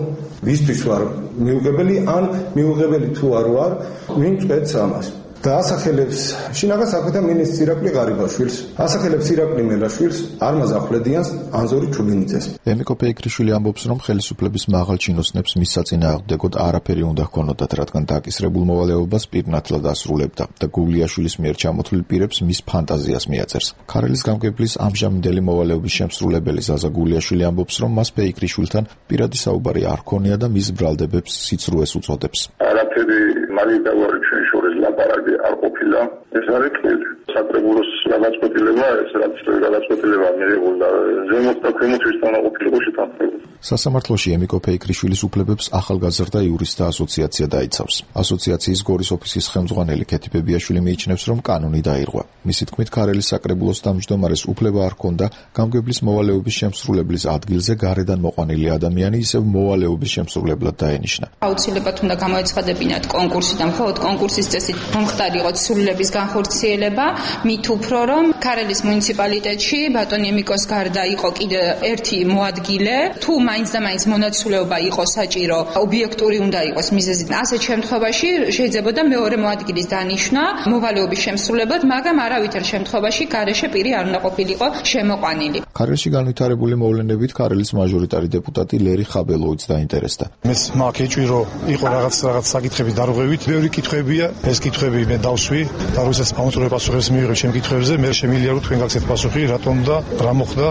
ვისთვის ვარ მიუღებელი, ან მიუღებელი თუ არ ვარ, ვინ წვეთს ამას. და ასახელებს შინაგან საქმეთა მინისტრ ირაკლი ღარიბაშვილს, ასახელებს ირაკლი მელაშვილს, არმაზ ახვლედიანს, ანზორი ჩუბინიძეს. ემიკო ფეიქრიშვილი ამბობს, რომ ხელისუფლების მაღალ ჩინოსნებს მის საწინააღმდეგოდ არაფერი უნდა ჰქონოდათ, რადგან დაკისრებულ მოვალეობას პირნათლად ასრულებდა და გულიაშვილის მიერ ჩამოთვლილ პირებს მის ფანტაზიას მიაწერს. ქარელის გამგებლის ამჟამინდელი მოვალეობის შემსრულებელი ზაზა გულიაშვილი ამბობს, რომ მას ფეიქრიშვილთან პირადი საუბარი არ ჰქონია და მის ბრალდებებს სიცრუეს უწოდებს. არაფერი მალიდავარი ჩვენ შორის ლაპარაკი არ ყოფილა. ეს არის თვილი. საკრებულოს გადაწყვეტილება, ეს რაც გადაწყვეტილება მიიღო და ზემოთ და ქვემოთ ვისთან ყოფილიყო შეთანხმებული. სასამართლოში ემიკო ფეიქრიშვილის უფლებებს ახალგაზრდა იურისტთა ასოციაცია დაიცავს. ასოციაციის გორის ოფისის ხელმძღვანელი ქეთი ბებიაშვილი მიიჩნევს, რომ კანონი დაირღვა. მისი თქმით, ქარელის საკრებულოს თავმჯდომარეს უფლება არ ჰქონდა გამგებლის მოვალეობის შემსრულებლის ადგილზე გარედან მოყვანილი ადამიანი ისევ მოვალეობის შემსრულებლად დაენიშნა. აუცილებლად უნდა გამოეცხადებინათ კონკურსი და მხოლოდ კონკურსის წესით მომხდარი იყო ცვლილებების განხორციელება, მით უფრო რომ ქარელის მუნიციპალიტეტში ბატონი ემიკოს გარდა იყო კიდე ერთი მოადგილე, თუ მაინც და მაინც მონაცვლეობა იყო საჭირო, ობიექტური უნდა იყოს მიზეზი. ასეთ შემთხვევაში შეიძლებოდა მეორე მოადგილის დანიშვნა მოვალეობის შემსრულებლად, მაგრამ არავითარ შემთხვევაში გარეშე პირი არ უნდა ყოფილიყო შემოყვანილი. ქარელში განვითარებული მოვლენებით ქარელის მაჟორიტარი დეპუტატი ლერი ხაბელოვიც დაინტერესდა. მეს მაგ ეჭვირო იყო რაღაც რაღაც საკითხების დარღვევით, ბევრი კითხვებია, ეს კითხვები მე დავსვი და როდესაც ამოწურე პასუხებს მივიღებ ჩემ კითხვებზე, მე შემიძლია რომ თქვენ გაგცეთ პასუხი, რატომ და რა მოხდა,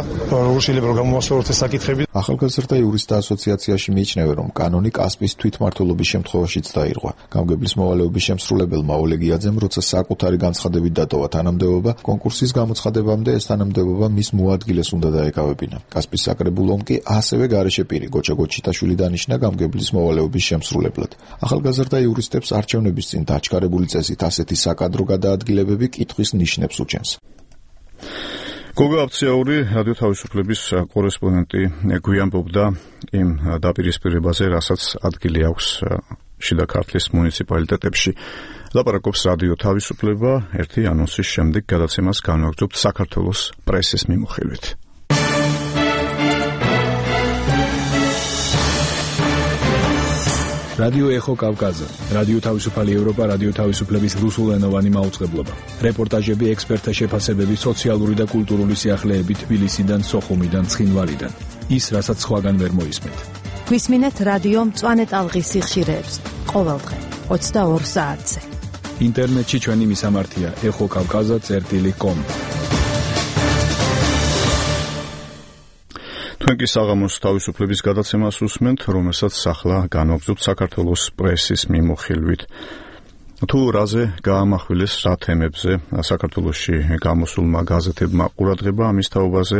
როგორ შეიძლება რომ გამოვასწოროთ ეს საკითხები. ახალგაზრდა იურისტთა ასოციაციაში მიიჩნევენ, რომ კანონი კასპის თვითმმართველობის შემთხვევაშიც დაირღვა. გამგებლის მოვალეობის შემსრულებელმა ოლეგიაძემ, როცა საკუთარი განცხადებით დატოვა თანამდებობა, კონკურსის გამოცხადებამდე ეს თანამდებობა მის მოადგილეს უნდა დაეკავებინა. კასპის საკრებულომ კი ასევე გარეშე პირი გოჩა გოჩიტაშვილი დანიშნა გამგებლის მოვალეობის შემსრულებლად. ახალგაზრდა იურისტებს არჩევნების წინ დაჩქარებული წესით ასეთი საკადრო გადაადგილებები კითხვის ნიშნებს უჩენს. გოგა აფციაური რადიო თავისუფლების კორესპონდენტი გვიანბობდა იმ დაპირისპირებაზე, რასაც ადგილი აქვს შიდა ქართლის მუნიციპალიტეტებში. ლაპარაკობს რადიო თავისუფლება ერთი ანონსის შემდეგ გადაცემას განვაგრძობთ საქართველოს პრესის მიმოხილვით. რადიო ეხო კავკაზე, რადიო თავისუფალი ევროპა, რადიო თავისუფლების რუსულენოვანი მაუწყებლობა. რეპორტაჟები, ექსპერტთა შეფასებები, სოციალური და კულტურული სიახლეები თბილისიდან, სოხუმიდან, ცხინვალიდან. ის, რასაც სხვაგან ვერ მოისმენთ. გვისმინეთ რადიო მწვანე ტალღის სიხშირეებს ყოველდღე ოცდაორ საათზე. ინტერნეტში ჩვენი მისამართია ეხო კავკაზა წერტილი კომ. თქვენ კი საღამოს თავისუფლების გადაცემას უსმენთ, რომელსაც ახლა განვაგრძობთ საქართველოს პრესის მიმოხილვით. თუ რაზე გაამახვილეს რა თემებზე საქართველოში გამოსულმა გაზეთებმა ყურადღება ამის თაობაზე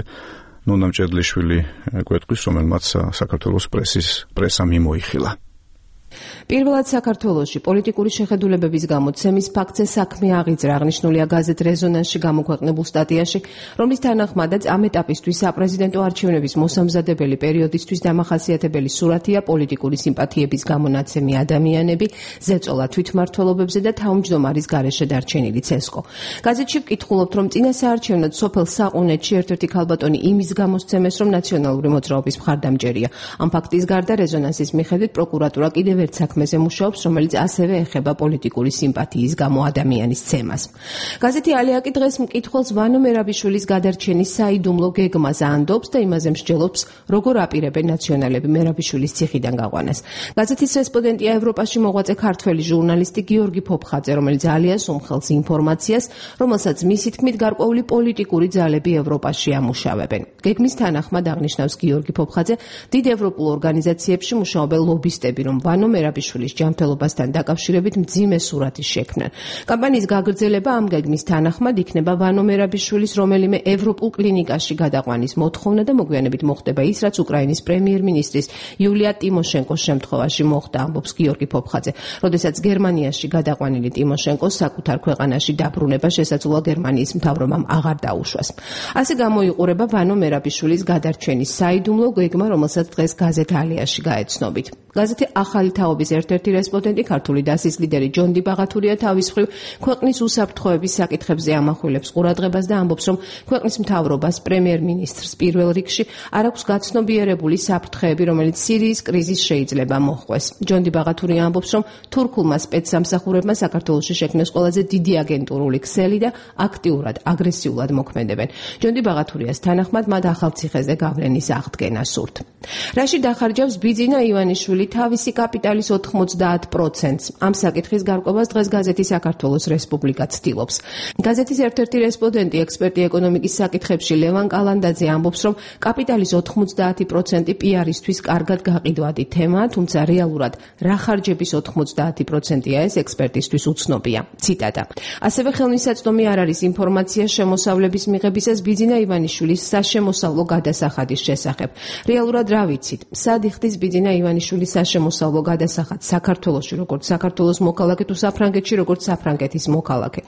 ნონა მჭედლიშვილი გვეტყვის, რომელმაც საქართველოს პრესის პრესა მიმოიხილა. პირველად საქართველოში პოლიტიკური შეხედულებების გამოცემის ფაქტზე საქმე აღიძრა, აღნიშნულია გაზეთ რეზონანსში გამოქვეყნებულ სტატიაში, რომლის თანახმადაც ამ ეტაპისთვის საპრეზიდენტო არჩევნების მოსამზადებელი პერიოდისთვის დამახასიათებელი სურათია პოლიტიკური სიმპათიების გამონაცემი ადამიანები, ზეწოლა თვითმმართველობებზე და თავმჯდომარის გარეშე დარჩენილი ცესკო. გაზეთში ვკითხულობთ, რომ წინა საარჩევნოდ სოფელ საყუნეთში ერთ-ერთი ქალბატონი იმის გამოსცემეს, რომ ნაციონალური მოძრაობის მხარდამჭერია. ამ ფაქტის გარდა რეზონანსის მიხედვით პროკურატურა კიდევ ერთ საქმეზე მუშაობს, რომელიც ასევე ეხება პოლიტიკური სიმპათიის გამო ადამიანის ცემას. გაზეთი ალიაკი დღეს მკითხველს ვანო მერაბიშვილის გადარჩენის საიდუმლო გეგმას ანდობს და იმაზე მსჯელობს, როგორ აპირებენ ნაციონალები მერაბიშვილის ციხიდან გაყვანას. გაზეთის რესპონდენტია ევროპაში მოღვაწე ქართველი ჟურნალისტი გიორგი ფოფხაძე, რომელიც ალიას უმხელს ინფორმაციას, რომელსაც მისი თქმით გარკვეული პოლიტიკური ძალები ევროპაში ამუშავებენ. გეგმის თანახმად აღნიშნავს გიორგი ფოფხაძე, დიდ ევროპულ ორგანიზაციებში მუშაობენ ლობისტები, რომ ვანო მერაბიშვილის ჯანმრთელობასთან დაკავშირებით მძიმე სურათის შექმნან. კამპანიის გაგრძელება ამ გეგმის თანახმად იქნება ვანო მერაბიშვილის რომელიმე ევროპულ კლინიკაში გადაყვანის მოთხოვნა და მოგვიანებით მოხდება ის, რაც უკრაინის პრემიერ-მინისტრის იულია ტიმოშენკოს შემთხვევაში მოხდა, ამბობს გიორგი ფოფხაძე. როდესაც გერმანიაში გადაყვანილი ტიმოშენკოს საკუთარ ქვეყანაში დაბრუნება შესაძლოა გერმანიის მთავრობამ აღარ დაუშვას. ასე გამოიყურება ვანო მერაბიშვილის გადარჩენის საიდუმლო გეგმა, რომელსაც დღეს გაზეთ ალიაში გაეცნობით. გაზეთი ახალი თაობის ერთ-ერთი რესპონდენტი ქართული დასის ლიდერი ჯონდი ბაღათურია თავის მხრივ ქვეყნის უსაფრთხოების საკითხებზე ამახვილებს ყურადღებას და ამბობს, რომ ქვეყნის მთავრობას პრემიერ-მინისტრს პირველ რიგში არ აქვს გაცნობიერებული საფრთხეები, რომელიც სირიის კრიზისს შეიძლება მოჰყვეს. ჯონდი ბაღათურია ამბობს, რომ თურქულმა სპეცსამსახურებმა საქართველოში შექმნეს ყველაზე დიდი აგენტურული ქსელი და აქტიურად, აგრესიულად მოქმედებენ. ჯონდი ბაღათურიას თანახმად მათ ახალციხეზე გავლენის აღდგენა სურთ. რაში დახარჯავს ბიძინა ივანიშვილი თავისი კაპიტალის ოთხმოცდაათ პროცენტს. ამ საკითხის გარკვევას დღეს გაზეთი საქართველოს რესპუბლიკა ცდილობს. გაზეთის ერთ-ერთი რესპონდენტი, ექსპერტი ეკონომიკის საკითხებში ლევან კალანდაძე ამბობს, რომ კაპიტალის ოთხმოცდაათი პროცენტი პიარისთვის კარგად გაყიდვადი თემაა, თუმცა რეალურად რა ხარჯების ოთხმოცდაათი პროცენტია ეს ექსპერტისთვის უცნობია. ციტატა. ასევე ხელმისაწვდომი არ არის ინფორმაცია შემოსავლების მიღებისას ბიძინა ივანიშვილის საშემოსავლო გადასახადის შესახებ. რეალურად რა ვიცით? სად იხდის ბიძინა ივანიშვილის საშემოსავლო გადასახად საქართველოში, როგორც საქართველოს მოქალაქე თუ საფრანგეთში, როგორც საფრანგეთის მოქალაქე.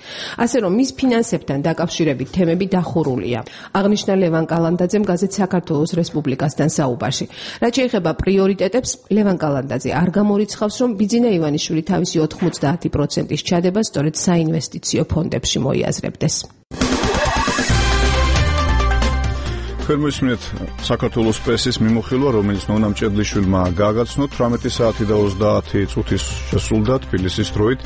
ასე რომ მის ფინანსებთან დაკავშირებით თემები დახურულია. აღნიშნა ლევან კალანდაძემ გაზეთ საქართველოს რესპუბლიკასთან საუბარში. რაც შეეხება პრიორიტეტებს, ლევან კალანდაძე არ გამორიცხავს, რომ ბიძინა ივანიშვილი თავისი ოთხმოცდაათი პროცენტის ჩადება სწორედ საინვესტიციო ფონდებში მოიაზრებდეს. ფერმისმით საქართველოს პრესის მიმოხილვა, რომელიც ნონა მჭედლიშვილმა გააგრძნო თვრამეტი საათი და ოცდაათი წუთის შესრულდა თბილისის დროით.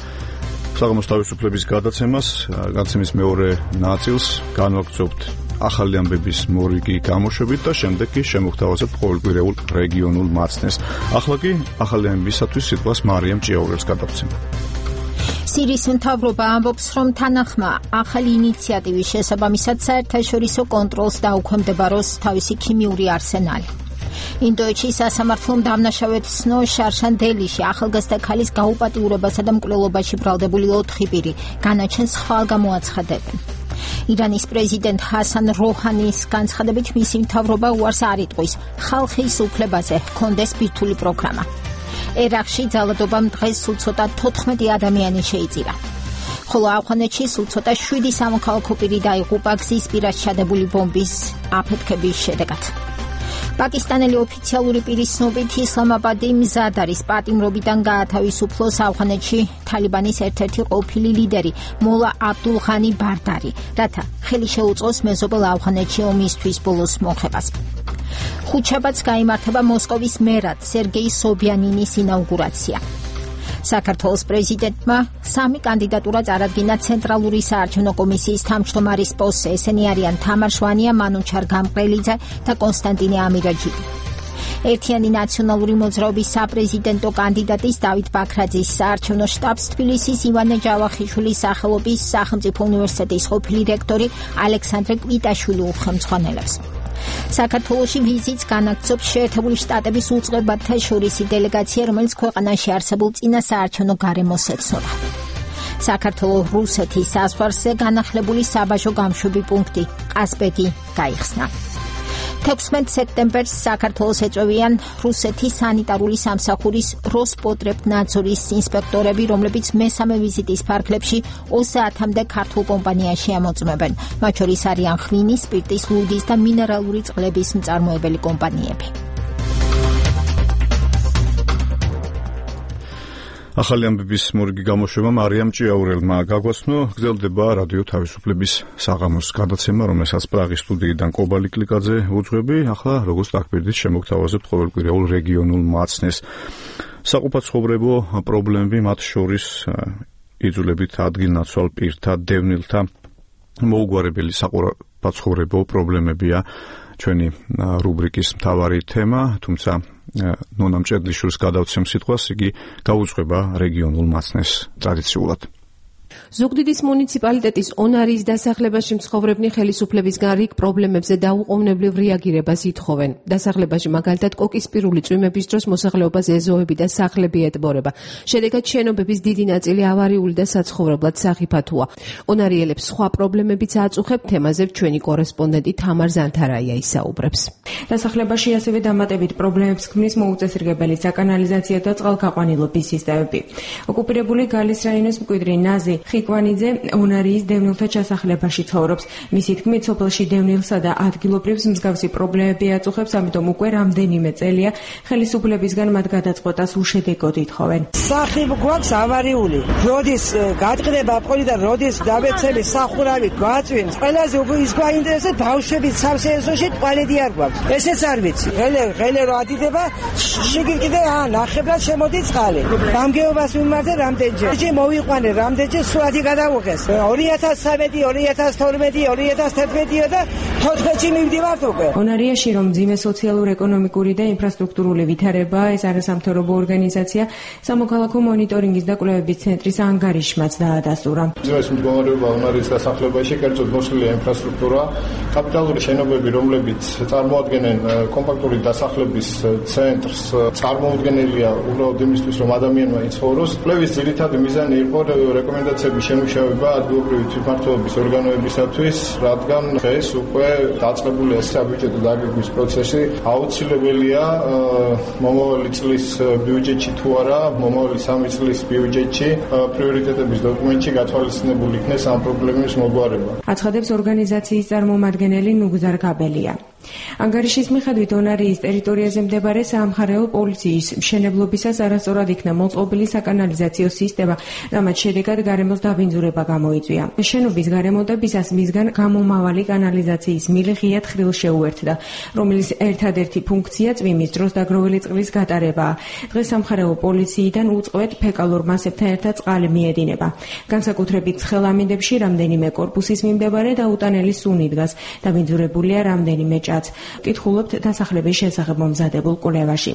საღამოს თავისუფლების გადაცემას, გადაცემის მეორე ნაწილს განვაგრძობთ ახალი ამბების მორიგი გამოშვებით და შემდეგ კი შემოგთავაზებთ ყოველკვირეულ რეგიონულ მაცნეს. ახლა კი ახალი ამბებისათვის სიტყვას მარიამ ჭიაურელს გადავცემ. სირიის მთავრობა ამბობს, რომ თანახმა ახალი ინიციატივის შესაბამისად საერთაშორისო კონტროლს დაუქვემდებაროს თავისი ქიმიური არსენალი. ინდოეთში სასამართლომ დამნაშავეცნო შარშან დელიში ახალგაზრდა ქალის გაუპატიურებასა და მკვლელობაში ბრალდებული ოთხი პირი განაჩენს ხვალ გამოაცხადებენ. ირანის პრეზიდენტ ჰასან როჰანის განცხადებით მისი მთავრობა უარს არ იტყვის ხალხის უფლებაზე ჰქონდეს ბირთვული პროგრამა. ერაყში ძალადობამ დღეს სულ ცოტა თოთხმეტი ადამიანი შეიწირა. ხოლო ავღანეთში სულ ცოტა შვიდი სამოქალაქო პირი დაიღუპა გზის პირას ჩადებული ბომბის აფეთქების შედეგად. პაკისტანელი ოფიციალური პირის ცნობით ისლამაბადი მზად არის პატიმრობიდან გაათავისუფლოს ავღანეთში თალიბანის ერთ-ერთი ყოფილი ლიდერი მოლა აბდულ ღანი ბარდარი, რათა ხელი შეუწყოს მეზობელ ავღანეთში ომისთვის ბოლოს მოხებას. ხუთშაბათს გაიმართება მოსკოვის მერად სერგეი სობიანინის ინაუგურაცია. საქართველოს პრეზიდენტმა სამი კანდიდატურა წარადგინა ცენტრალური საარჩევნო კომისიის თავმჯდომარის პოსტზე. ესენი არიან თამარ შვანია, მანუჩარ გამყრელიძე და კონსტანტინე ამირაჯიბი. ერთიანი ნაციონალური მოძრაობის საპრეზიდენტო კანდიდატის დავით ბაქრაძის საარჩევნო შტაბს თბილისის ივანე ჯავახიშვილის სახელობის სახელმწიფო უნივერსიტეტის ყოფილი რექტორი ალექსანდრე კვიტაშვილი უხელმძღვანელებს. საქართველოში ვიზიტს განაგრძობს შეერთებული შტატების უწყებათა შორისი დელეგაცია, რომელიც ქვეყანაში არსებულ წინა საარჩევნო გარემოს ეცნობა. საქართველო-რუსეთის საზღვარზე განახლებული საბაჟო გამშვები პუნქტი ყაზბეგი გაიხსნა. თექვსმეტ სექტემბერს საქართველოს ეწვევიან რუსეთის სანიტარული სამსახურის როსპოტრებნაძორის ინსპექტორები, რომლებიც მესამე ვიზიტის ფარგლებში ოცდაათამდე ქართულ კომპანიაში ამოწმებენ. მათ შორის არიან ღვინის, სპირტის, ლუდის და მინერალური წყლების მწარმოებელი კომპანიები. ახალი ამბების მორიგი გამოშვება მარიამ ჭიაურელმა გაგვაცნო. გრძელდება რადიო თავისუფლების საღამოს გადაცემა, რომელსაც პრაღის სტუდიიდან კობალი კლიკაძე უძღვები. ახლა როგორც დაგპირდით, შემოგთავაზებთ ყოველკვირეულ რეგიონულ მაცნეს. საყოფაცხოვრებო პრობლემები, მათ შორის იძულებით ადგილნაცვალ პირთა, დევნილთა მოუგვარებელი საყოფაცხოვრებო პრობლემებია ჩვენი რუბრიკის მთავარი თემა, თუმცა ნონა მჭედლიშვილს გადავცემ სიტყვას, იგი გაუძღვება რეგიონულ მაცნეს ტრადიციულად. ზუგდიდის მუნიციპალიტეტის ონარიის დასახლებაში მცხოვრებნი ხელისუფლებისგან რიგ პრობლემებზე დაუყოვნებლივ რეაგირებას ითხოვენ. დასახლებაში მაგალითად კოკისპირული წვიმების დროს მოსახლეობას ეზოები და სახლები ეტბორება. შედეგად შენობების დიდი ნაწილი ავარიული და საცხოვრებლად სახიფათოა. ონარიელებს სხვა პრობლემებიც აწუხებთ, თემაზე ჩვენი კორესპონდენტი თამარ ზანთარაია ისაუბრებს. დასახლებაში ასევე დამატებით პრობლემებს ქმნის მოუწესრიგებელი საკანალიზაციო და წყალგაყვანილობის სისტემები. ოკუპირებული გალის რაიონის მკვიდრი ნაზი ხიკვანიძე ონარიის დევნილთა ჩასახლებაში ცხოვრობს. მისი თქმით, სოფელში დევნილსა და ადგილობრივს მსგავსი პრობლემები აწუხებს, ამიტომ უკვე რამდენიმე წელია ხელისუფლებისგან მათ გადაწყვეტას უშედეგოდ ითხოვენ. სახლი გვაქვს ავარიული. როდის გადყდება პოლი და როდის დაბეცები სახურავი გვაწვენს. ყველაზე უფრო ის გვაინტერესებს ბავშვების სავსეესოში ტუალეტი არ გვაქვს. ესეც არ ვიცი. ღელე ღელე რო ადიდება, შიგნით კიდე ნახევრად შემოდის წყალი. გამგეობას მიმართა რამდენჯერ. ჯერ მოვიყვანე რამდენჯერ სვადი გადავუღეს. ორი ათას სამი, ორი ათას თორმეტი, ორი ათას თერთმეტი და თოთხმეტში მივდივართ უკვე. ონარიაში რომ მძიმე სოციალურ-ეკონომიკური და ინფრასტრუქტურული ვითარება, ეს არასამთავრობო ორგანიზაცია სამოქალაქო მონიტორინგის და კვლევების ცენტრის ანგარიშმაც დაადასტურა. მძიმე მდგომარეობა ონარის დასახლებაში კერძოდ მოსვლია ინფრასტრუქტურა, კაპიტალური შენობები, რომლებიც წარმოადგენენ კომპაქტური დასახლების ცენტრს, წარმოუდგენელია უბრალოდ იმისთვის, რომ ადამიანმა იცხოვროს. კვლევის ძირითადი მიზანი იყო რეკომენდაციების შემუშავება ადგილობრივი თვითმმართველობის ორგანოებისათვის, რადგან დღეს უკვე დაწყებულია საბიუჯეტო დაგეგმვის პროცესი. აუცილებელია მომავალი წლის ბიუჯეტში თუ არა, მომავალი სამი წლის ბიუჯეტში პრიორიტეტების დოკუმენტში გათვალისწინებული იქნეს ამ პრობლემის მოგვარება. აცხადებს ორგანიზაციის წარმომადგენელი ნუგზარ კაბელია. ანგარიშის მიხედვით ონარიის ტერიტორიაზე მდებარე საამხარეო პოლიციის მშენებლობისას არასწორად იქნა მოწყობილი საკანალიზაციო სისტემა, რამაც შედეგად გარემოს დაბინძურება გამოიწვია. შენობის გარემონტებისას მისგან გამომავალი კანალიზაციის მილი ღიად ხრილ შეუერთდა, რომელიც ერთადერთი ფუნქცია წვიმის დროს დაგროვილი წყლის გატარებაა. დღეს სამხარეო პოლიციიდან უწყვეტ ფეკალურ მასებთან ერთად წყალი მიედინება. განსაკუთრებით ცხელ ამინდებში რამდენიმე კორპუსის მიმდებარე და უტანელი სუნი დგას, დაბინძურებულია რამდენიმე ჭა. კითხულობთ დასახლების შესახებ მომზადებულ კვლევაში.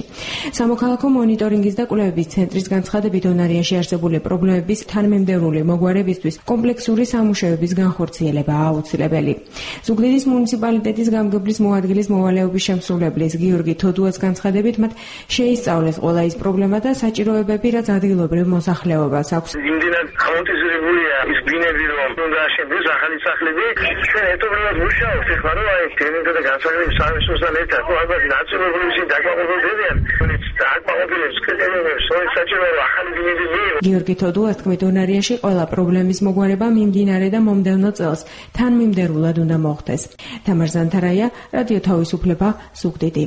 სამოქალაქო მონიტორინგის და კვლევების ცენტრის განცხადებით ონარიაში არსებული პრობლემების თანმიმდევრული მოგვარებისთვის კომპლექსური სამუშაოების განხორციელებაა აუცილებელი. ზუგდიდის მუნიციპალიტეტის გამგებლის მოადგილის მოვალეობის შემსრულებლის გიორგი თოდუას განცხადებით მათ შეისწავლეს ყველა ის პრობლემა და საჭიროებები, რაც ადგილობრივ მოსახლეობას აქვს. იმდენად ამორტიზებულია ის ბინები, რომ უნდა აშენდეს ახალი სახლები, ჩვენ ერთობლივად მუშაობთ ახლა, რომ აი ტენენტთა და განსაკუთრებით სამისოსთან ერთად, ну ალბათ ნაცნობები ისინი დაკმაყოფილდებიან, რომელიც დაკმაყოფილებს კრიტერიუმებს, რომელიც საჭიროა ახალი ბინები მიიღოს. გიორგი თოდუას თქმით, ონარიაში ყველა პრობლემის მოგვარება მიმდინარე და მომდევნო წელს თანმიმდევრულად უნდა მოხდეს. თამარ ზანთარაია, რადიო თავისუფლება, ზუგდიდი.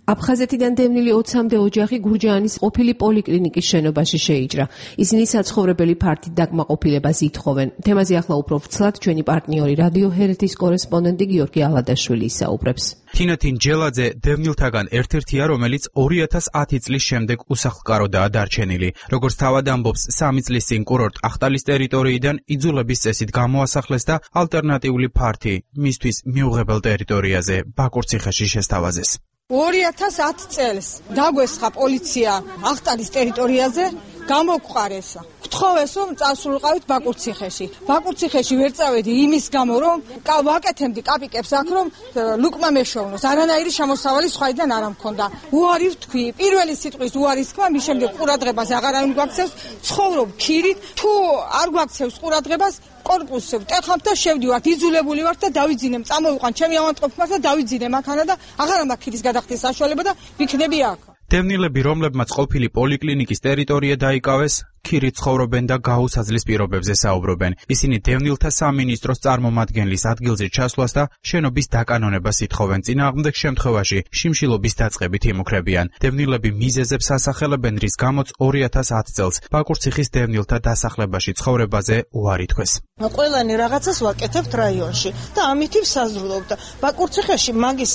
აფხაზეთიდან დევნილი ოცამდე ოჯახი გურჯაანის ყოფილი პოლიკლინიკის შენობაში შეიჭრა. ისინი საცხოვრებელი ფართით დაკმაყოფილებას ითხოვენ. თემაზე ახლა უფრო ვრცლად ჩვენი პარტნიორი რადიო ჰერეთის კორესპონდენტი გიორგი ალადაშვილი ისაუბრებს. თინათინ ჯელაძე დევნილთაგან ერთ-ერთია, რომელიც ორი ათას ათი წლის შემდეგ უსახლკაროდაა დარჩენილი. როგორც თავად ამბობს, სამი წლის წინ კურორტ ახტალის ტერიტორიიდან იძულების წესით გამოასახლეს და ალტერნატიული ფართი მისთვის მიუღებელ ტერიტორიაზე ბაკურციხეში შესთავაზეს. ორი ათას ათი წელს დაგვესხა პოლიცია ახტალის ტერიტორიაზე, გამოგყარეს. გთხოვეს რომ წასულიყავით ბაკურციხეში. ბაკურციხეში ვერ წავედი იმის გამო, რომ ვაკეთებდი კაპიკებს აქ, რომ ლუკმა მეშოვნოს. არანაირი შემოსავალი სხვაიდან არ მქონდა. უარი ვთქვი, პირველი სიტყვის უარის თქმა, მის შემდეგ ყურადღებას აღარ გვაქცევს, ცხოვრობ ქირით, თუ არ გვაქცევს ყურადღებას, კორპუსზე ვტეხავთ და შევდივართ, იძულებული ვართ და დავიძინემ, წამოვიყვან ჩემი ავადმყოფს და დავიძინემ აქანა და აღარ მაქვს ქირის გადახდის საშუალება და ვიქნები აქ. დევნილები, რომლებმაც ყოფილი პოლიკლინიკის ტერიტორია დაიკავეს, ქირით ცხოვრობენ და გაუსაძლის პირობებზე საუბრობენ. ისინი დევნილთა სამინისტროს წარმომადგენლის ადგილზე ჩასვლას და შენობის დაკანონებას ითხოვენ. წინააღმდეგ შემთხვევაში შიმშილობის დაწყებით იმუქრებიან. დევნილები მიზეზებს ასახელებენ, რის გამოც ორი ათას ათი წელს ბაკურციხის დევნილთა დასახლებაში ცხოვრებაზე უარი თქვეს. ყველანი რაღაცას ვაკეთებთ რაიონში და ამით ვსაზრდობთ. ბაკურციხეში მაგის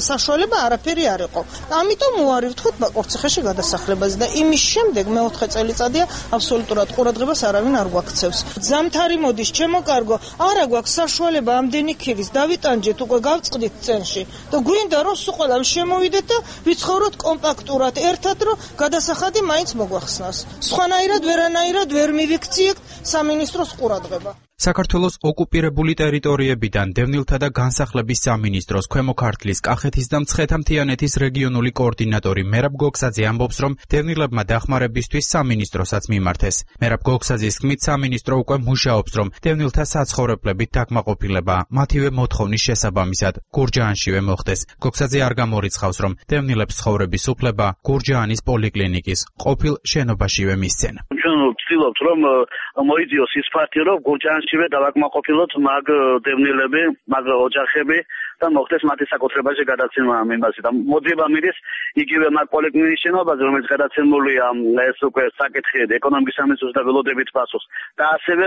საშუალება არაფერი არ იყო. ამიტომ უარი ვთქვით ბაკურციხეში გადასახლებაზე და იმის შემდეგ მეოთხე წელიწადია აბსოლუტურად ყურადღებას არავინ არ გვაქცევს. ზამთარი მოდის, ჩემო კარგო, არა გვაქვს საშუალება ამდენი ქირის დავიტანჯეთ, უკვე გავწყდით წენში და გვინდა რომ სულ ყველამ შემოვიდეთ და ვიცხოვროთ კომპაქტურად ერთად, რომ გადასახადი მაინც მოგვახსნას. სხვანაირად ვერანაირად ვერ მივიქციეთ სამინისტროს ყურადღება. საქართველოს ოკუპირებული ტერიტორიებიდან დევნილთა და განსახლების სამინისტროს ქვემო ქართლის, კახეთის და მცხეთა-მთიანეთის რეგიონული კოორდინატორი მერაბ გოგსაძე ამბობს, რომ დევნილებმა დახმარებისთვის სამინისტროსაც მიმართეს. მერაბ გოგსაძის თქმით, სამინისტრო უკვე მუშაობს, რომ დევნილთა საცხოვრებლებით დაკმაყოფილება მათივე მოთხოვნის შესაბამისად გურჯაანშივე მოხდეს. გოგსაძე არ გამორიცხავს, რომ დევნილებს ცხოვრების უფლება გურჯაანის პოლიკლინიკის ყოფილ შენობაშივე მისცენ. ჩვენ ვცდილობთ, რომ მოიძიოს ის ფაქტი, რომ გურჯაანშივე დავაკმაყოფილოთ მაგ დევნილები, მაგ ოჯახები და მოხდეს მათი საკუთრებაში გადაცემა ამ იმაზე და მოძიება მიდის იგივე მაგ პოლიკლინიკის შენობაზე, რომელიც გადაცემულია ეს უკვე საკითხი ეკონომიკის სამინისტროს და ველოდებით პასუხს და ასევე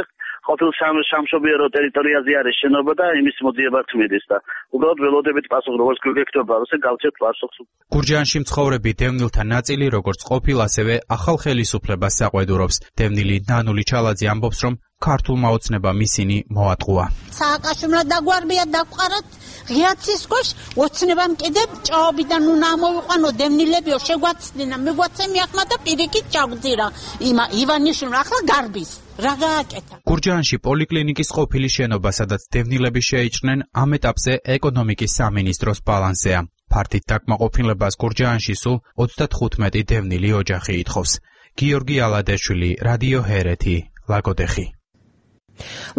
ყოფილ სამშობიარო ტერიტორიაზე არის შენობა და იმის მოძიება თმიდის და უბრალოდ ველოდებით პასუხ როგორც გვიქნება, ასე გავცეთ პასუხს. გურჯაანში მცხოვრები დევნილთა ნაწილი, როგორც ყოფილ, ასევე ახალ ხელისუფლებას საყვედურობს. დევნილი ნანული ჩალაძე ამბობს, რომ ქართულმა ოცნებამ ისინი მოატყუა. სააკაშვილმა დაგვარბია დაგვყაროთ ღიაცის ქვეშ ოცნებამ კიდე ჭაობიდან უნდა ამოვიყვანო დევნილებიო შეგვაცდინა მიგვაცემი ახლა და პირიქით ჩაგძირა იმა ივანიშვილმა ახლა გარბის რა გააკეთა. გურჯაანში პოლიკლინიკის ყოფილი შენობა, სადაც დევნილები შეიჭრნენ, ამ ეტაპზე ეკონომიკის სამინისტროს ბალანსზეა. ფართით დაკმაყოფილებას გურჯაანში სულ ოცდათხუთმეტი დევნილი ოჯახი ითხოვს. გიორგი ალადეშვილი, რადიო ჰერეთი, ლაგოდეხი.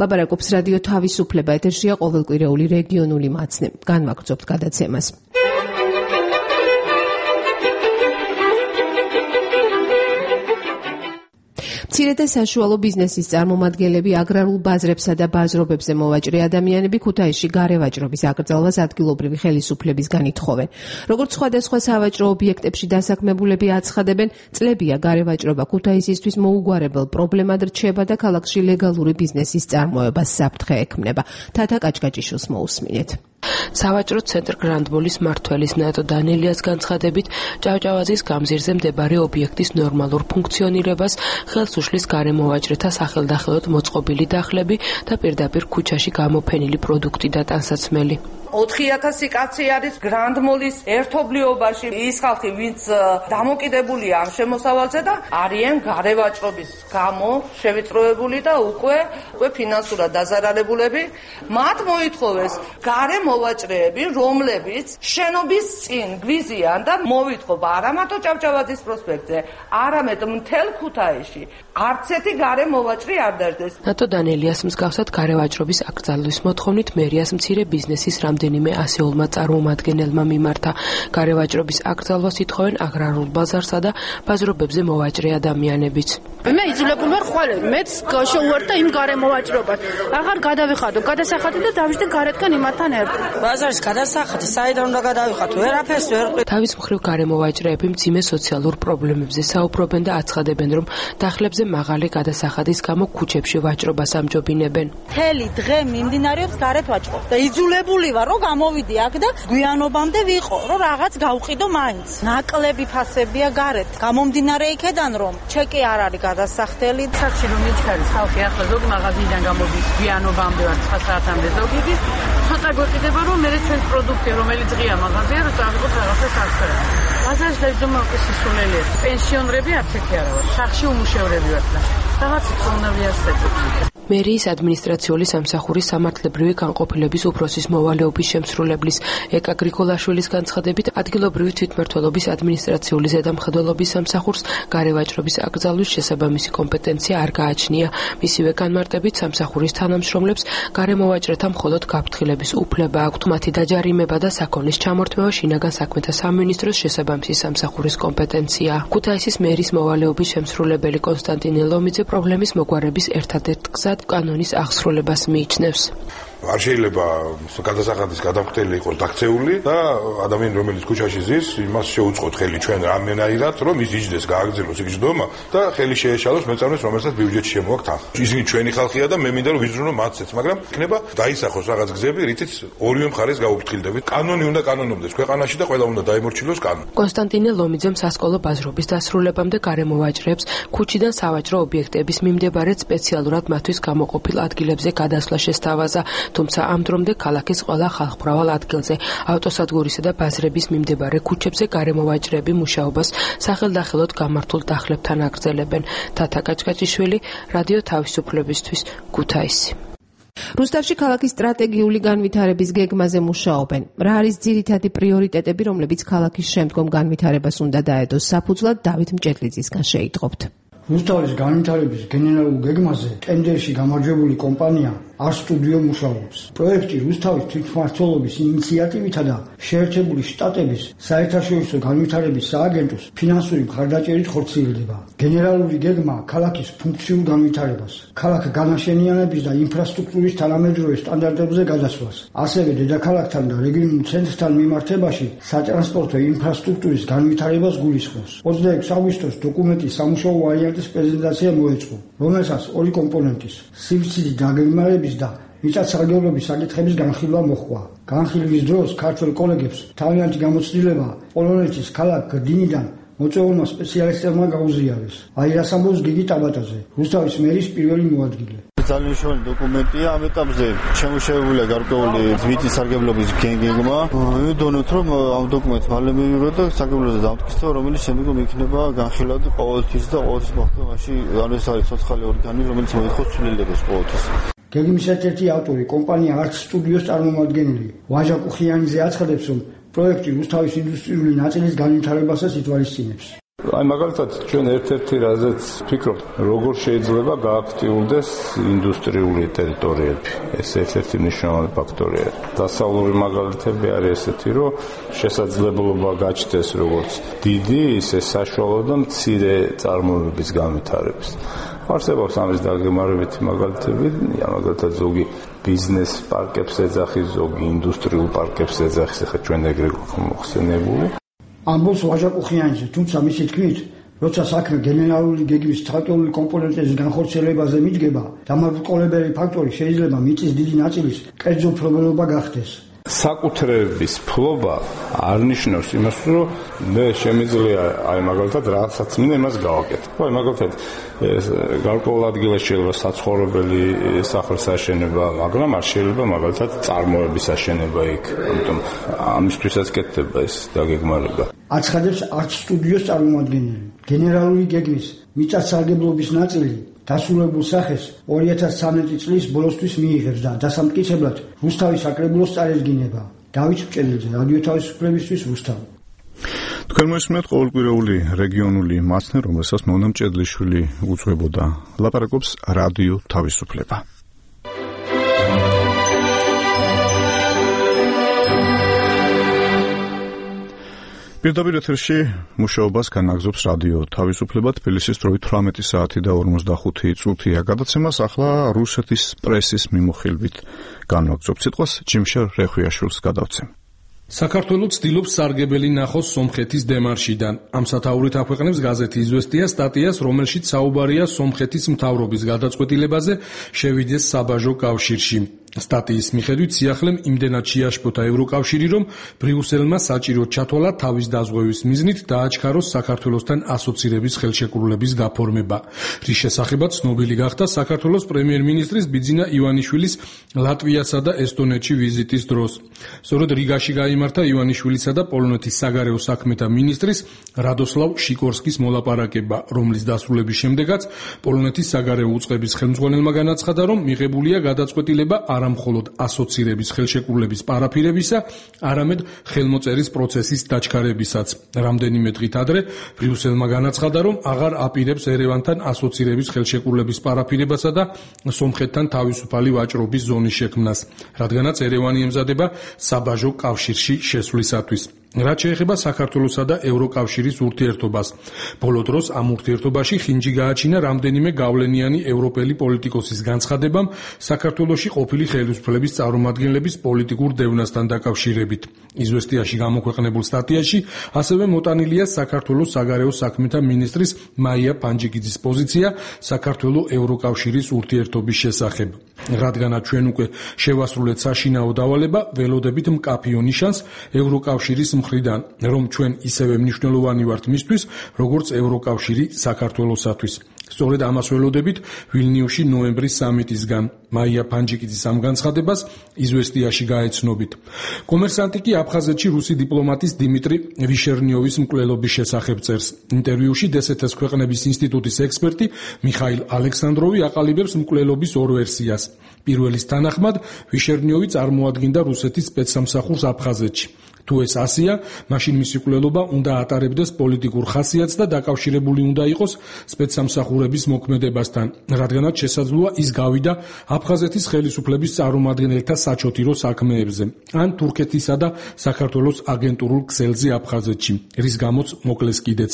ლაპარაკობს რადიო თავისუფლება, ეთერშია ყოველკვირეული რეგიონული მაცნე. განვაგრძობთ გადაცემას. მცირე და საშუალო ბიზნესის წარმომადგენლები, აგრარულ ბაზრებსა და ბაზრობებზე მოვაჭრე ადამიანები ქუთაისში გარევაჭრობის აკრძალვას ადგილობრივი ხელისუფლებისგან ითხოვენ. როგორც სხვადასხვა სავაჭრო ობიექტებში დასაქმებულები აცხადებენ, წლებია გარევაჭრობა ქუთაისისთვის მოუგვარებელ პრობლემად რჩება და ქალაქში ლეგალური ბიზნესის წარმოებას საფრთხე ექმნება. თათა კაჭკაჭიშვილს მოусმინეთ. სავაჭრო ცენტრ გრანდმოლის მმართველის ნატო დანელიას განცხადებით, ჭავჭავაძის გამზირზე მდებარე ობიექტის ნორმალურ ფუნქციონირებას ხელს უშლის გარემოვაჭრეთა სახელდახელოდ მოწყობილი დახლები და პირდაპირ ქუჩაში გამოფენილი პროდუქტი და ტანსაცმელი. ოთხი ათასი კაცი არის გრანდმოლის ერთობლიობაში, ის ხალხი, ვინც დამოკიდებულია ამ შემოსავალზე და არიან გარევაჭრობის გამო შევიწროებული და უკვე უკვე ფინანსურად დაზარალებულები. მათ მოითხოვეს გარემოვაჭრეები, რომლებიც შენობის წინ გვიზიან და მოვითხოვ არა მარტო ჭავჭავაძის პროსპექტზე, არამედ მთელ ქუთაისში არც ერთი გარემოვაჭრე არ დაждდეს. ნატო დანელიას მსგავსად გარევაჭრობის აკრძალვის მოთხოვნით მერიას მცირე ბიზნესის რამდენიმე ასეულმა წარმომადგენელმა მიმართა. გარევაჭრობის აკრძალვას ითხოვენ აგრარულ ბაზარსა და ბაზრობებზე მოვაჭრე ადამიანებიც. მე იძულებული ვარ ხვალე, მეც შევუერთდა იმ გარემოვაჭრობას. აღარ გადავიხადო, გადასახადი და დავიждე გარეთკენ იმათთან ერთად. ბაზარის გადასახადი საიდან უნდა გადავიხადო? ვერაფერს ვერ ყვი. თავის მხრივ გარემოვაჭრეები მძიმე სოციალურ პრობლემებზე საუბრობენ და აცხადებენ, რომ დახლებზე მაღალი გადასახადის გამო ქუჩებში ვაჭრობას ამჯობინებენ. მთელი დღე მიმდინარეობს გარეთ ვაჭრობა და იძულებული ვარ, რომ გამოვიდი აქ და გვიანობამდე ვიყო, რომ რაღაც გავყიდო მაინც. ნაკლები ფასებია გარეთ. გამომდინარე იქედან, რომ ჩეკი არ არის გადასახდელი. საერთოდ რომ მიჩქარის ხალხი ახლა ზოგი მაღაზიიდან გამოდის გვიანობამდე ვარ ცხრა საათამდე ზოგი. ცოტა გვეყიდება, რომ მე ჩვენ პროდუქტი, რომელიც ღია მაღაზია, რომ წავიღოთ რაღაცა საქმე. ბაზარში დაიძულებული სისულელია. პენსიონერები არც ერთი არა ვარ. სახში უმუშევრები ვარ და რაღაც უნდა ვიარსებოდეთ. მერიის ადმინისტრაციული სამსახურის სამართლებრივი განყოფილების უფროსის მოვალეობის შემსრულებლის ეკა გრიგოლაშვილის განცხადებით, ადგილობრივი თვითმმართველობის ადმინისტრაციული ზედამხედველობის სამსახურს გარევაჭრობის აკრძალვის შესაბამისი კომპეტენცია არ გააჩნია. მისივე განმარტებით, სამსახურის თანამშრომლებს გარემოვაჭრეთა მხოლოდ გაფრთხილების უფლება აქვთ. მათი დაჯარიმება და საქონლის ჩამორთმევა შინაგან საქმეთა სამინისტროს შესაბამისი სამსახურის კომპეტენციაა. ქუთაისის მერის მოვალეობის შემსრულებელი კონსტანტინე ლომიძე პრობლემის მოგვარების ერთადერთ გზად კანონის აღსრულებას მიიჩნევს. არ შეიძლება გადასახადის გადამხდელი იყოს დაქცეული და ადამიანი რომელიც ქუჩაში ზის, იმას შეუწყოთ ხელი ჩვენ რამენაირად, რომ ის იჯდეს, გააგრძელოს იქ ჯდომა და ხელი შეეშალოს მეწარმეს, რომელსაც ბიუჯეტში შემოაქვთ ახლა. ისინი ჩვენი ხალხია და მე მინდა რომ ვიზრუნო მათცეც, მაგრამ იქნება დაისახოს რაღაც გზები, რითიც ორივე მხარეს გაუფრთხილდებით. კანონი უნდა კანონობდეს ქვეყანაში და ყველა უნდა დაემორჩილოს კანონი. კონსტანტინე ლომიძემ სასკოლო ბაზრობის დასრულებამდე გარემოვაჭრეებს ქუჩიდან სავაჭრო ობიექტების მიმდებარედ სპეციალურად მათთვის გამოყოფილ ადგილებზე გადასვლა შესთავაზა. თუმცა ამ დრომდე ქალაქის ყველა ხალხმრავალ ადგილზე, ავტოსადგურისა და ბაზრების მიმდებარე ქუჩებზე გარემოვაჭრეები მუშაობას სახელდახელოდ გამართულ დახლებთან აგრძელებენ. თათა კაჭკაჭიშვილი, რადიო თავისუფლებისთვის, ქუთაისი. რუსთავში ქალაქის სტრატეგიული განვითარების გეგმაზე მუშაობენ. რა არის ძირითადი პრიორიტეტები, რომლებიც ქალაქის შემდგომ განვითარებას უნდა დაედოს საფუძვლად, დავით მჭედლიძისგან შეიტყობთ. რუსთავის განვითარების გენერალურ გეგმაზე ტენდერში გამარჯვებული კომპანია არ სტუდიო მუშაობს. პროექტი რუსთავის თვითმმართველობის ინიციატივითა და შეერთებული შტატების საერთაშორისო განვითარების სააგენტოს ფინანსური მხარდაჭერით ხორციელდება. გენერალური გეგმა ქალაქის ფუნქციურ განვითარებას, ქალაქ განაშენიანების და ინფრასტრუქტურის თანამედროვე სტანდარტებზე გადასვლას, ასევე დედაქალაქთან და რეგიონულ ცენტრთან მიმართებაში სატრანსპორტო ინფრასტრუქტურის განვითარებას გულისხმობს. ოცდაექვსი აგვისტოს დოკუმენტის სამუშაო ვარიანტის პრეზენტაცია მოეწყო, რომელსაც ორი კომპონენტის სივრცის დაგეგმარების და მიწათსარგებლობის საკითხების განხილვა მოჰყვა. განხილვის დროს ქართველ კოლეგებს თავიანთი გამოცდილება პოლონეთის ქალაქ გრდინიდან მოწვეულმა სპეციალისტებმა გაუზიარეს. აი რას ამბობს გიგი ტაბატაძე, რუსთავის მერის პირველი მოადგილე. ძალიან მნიშვნელოვანი დოკუმენტია. ამ ეტაპზე შემოშევებულია გარკვეული ზვიტი სარგებლობის გეგმა. ვიდონოთ, რომ ამ დოკუმენტს მალე მივიღო და სარგებლობაზე დამტკიცდება, რომელიც შემდგომ იქნება განხილვადი ყოველთვის და ყოველთვის მოხდომაში, ანუ ეს არის ცოცხალი ორგანო, რომელიც მოითხოვს ცვლილებას ყოველთვის. გეგმის ერთ-ერთი ავტორი, კომპანია არც სტუდიოს წარმომადგენელი, ვაჟა კუხიანიძე აცხადებს, რომ პროექტი რუსთავის ინდუსტრიული ნაწილის განვითარებასაც ითვალისწინებს. აი მაგალითად ჩვენ ერთ-ერთი რაზეც ვფიქრობთ, როგორ შეიძლება გააქტიურდეს ინდუსტრიული ტერიტორიები. ეს ერთ-ერთი მნიშვნელოვანი ფაქტორია. დასავლური მაგალითები არის ესეთი, რომ შესაძლებლობა გაჩნდეს როგორც დიდი, ისე საშუალო და მცირე წარმოებების განვითარების. არსებობს ამის დაგემარებითი მაგალითები, მაგალითად ზოგი ბიზნეს პარკებს ეძახის, ზოგი ინდუსტრიულ პარკებს ეძახის, ახლა ჩვენ ეგრე გვაქვს მოხსენებული. ამბობს ვაჟა კუხიანიძე, თუმცა მისი თქმით, როცა საქმე გენერალური გეგმის ცალკეული კომპონენტების განხორციელებაზე მიდგება, დამარყოლებელი ფაქტორი შეიძლება მიწის დიდი ნაწილის კერძო ფლობელობა გახდეს. საკუთრების ფლობა არ ნიშნავს იმას, რომ მე შემიძლია აი მაგალითად რაღაცაც მინდა იმას გავაკეთო. აი მაგალითად ეს გარკვეულ ადგილას შეიძლება საცხოვრებელი სახლის აშენება, მაგრამ არ შეიძლება მაგალითად წარმოების აშენება იქ. ამიტომ ამისთვისაც კეთდება ეს დაგეგმარება. აცხადებს არც სტუდიოს წარმომადგენელი. გენერალური გეგმის მიწათსარგებლობის ნაწილი დასრულებულ სახეს ორი ათას ცხრამეტი წლის ბოლოსთვის მიიღებს და დასამტკიცებლად რუსთავის საკრებულოს წარედგინება. დავით მჭედელძე, რადიო თავისუფლებისთვის, რუსთავი. თქვენ მოსმენთ ყოველკვირეული რეგიონული მასწავლე, რომელსაც მონა მჭედლიშვილი უძღვებოდა. ლაპარაკობს რადიო თავისუფლება. პირდაპირ ეთერში მუშაობას განაგზობს რადიო თავისუფლება. თბილისის დროით თვრამეტი საათი და ორმოცდახუთი წუთია გადაცემას. ახლა რუსეთის პრესის მიმოხილვით განვაგზობთ სიტყვას ჯიმშარ რეხვიაშვილს გადავცემ. საქართველო ცდილობს სარგებელი ნახოს სომხეთის დემარშიდან. ამ სათაურით აქვეყნებს გაზეთი იზვესტია სტატიას, რომელშიც საუბარია სომხეთის მთავრობის გადაწყვეტილებაზე შევიდეს საბაჟო კავშირში. სტატიის მიხედვით სიახლემ იმდენად შეაშფოთა ევროკავშირი, რომ ბრიუსელმა საჭიროდ ჩათვალა თავის დაზღვევის მიზნით დააჩქაროს საქართველოსთან ასოცირების ხელშეკრულების გაფორმება. რის შესახებაც ცნობილი გახდა საქართველოს პრემიერ-მინისტრის ბიძინა ივანიშვილის ლატვიასა და ესტონეთში ვიზიტის დროს. სწორედ რიგაში გაიმართა ივანიშვილისა და პოლონეთის საგარეო საქმეთა მინისტრის რადოსლავ შიკორსკის მოლაპარაკება, რომლის დასრულების შემდეგაც პოლონეთის საგარეო უწყების ხელმძღვანელმა განაცხადა, რომ მიღებულია გადაწყვეტილება არა მხოლოდ ასოცირების ხელშეკრულების პარაფირებისა, არამედ ხელმოწერის პროცესის დაჩქარებისაც. რამდენიმე დღით ადრე ბრიუსელმა განაცხადა, რომ აღარ აპირებს ერევანთან ასოცირების ხელშეკრულების პარაფირებასა და სომხეთთან თავისუფალი ვაჭრობის ზონის შექმნას, რადგანაც ერევანი ემზადება საბაჟო კავშირში შესვლისათვის. რაც შეეხება საქართველოსა და ევროკავშირის ურთიერთობას. ბოლო დროს ამ ურთიერთობაში ხინჯი გააჩინა რამდენიმე გავლენიანი ევროპელი პოლიტიკოსის განცხადებამ საქართველოში ყოფილი ხელისუფლების წარმომადგენლების პოლიტიკურ დევნასთან დაკავშირებით. იზვესტიაში გამოქვეყნებულ სტატიაში ასევე მოტანილია საქართველოს საგარეო საქმეთა მინისტრის მაია პანჯიკიძის პოზიცია საქართველო-ევროკავშირის ურთიერთობის შესახებ. რადგანაც ჩვენ უკვე შევასრულეთ საშინაო დავალება, ველოდებით მკაფიო ნიშანს ევროკავშირის მხრიდან, რომ ჩვენ ისევე მნიშვნელოვანი ვართ მისთვის, როგორც ევროკავშირი საქართველოსათვის. სწორედ ამას ველოდებით ვილნიუსში ნოემბრის სამიტისგან. მაია პანჯიკიძის ამ განცხადებას იზვესტიაში გაეცნობით. კომერსანტი კი აფხაზეთში რუსი დიპლომატის დიმიტრი ვიშერნიოვის მკვლელობის შესახებ წერს. ინტერვიუში დსთ-ს ქვეყნების ინსტიტუტის ექსპერტი მიხაილ ალექსანდროვი აყალიბებს მკვლელობის ორ ვერსიას. პირველის თანახმად ვიშერნიოვი წარმოადგენდა რუსეთის სპეცსამსახურს აფხაზეთში. თუ ეს ასია, მაშინ მისი მკვლელობა უნდა ატარებდეს პოლიტიკურ ხასიათს და დაკავშირებული უნდა იყოს სპეცსამსახურების მოქმედებასთან, რადგანაც შესაძლოა ის გავიდა აფხაზეთის ხელისუფლების წარმომადგენელთა საჩოთირო საქმეებზე, ან თურქეთისა და საქართველოს აგენტურულ ქსელზე აფხაზეთში, რის გამოც მოკლეს კიდეც.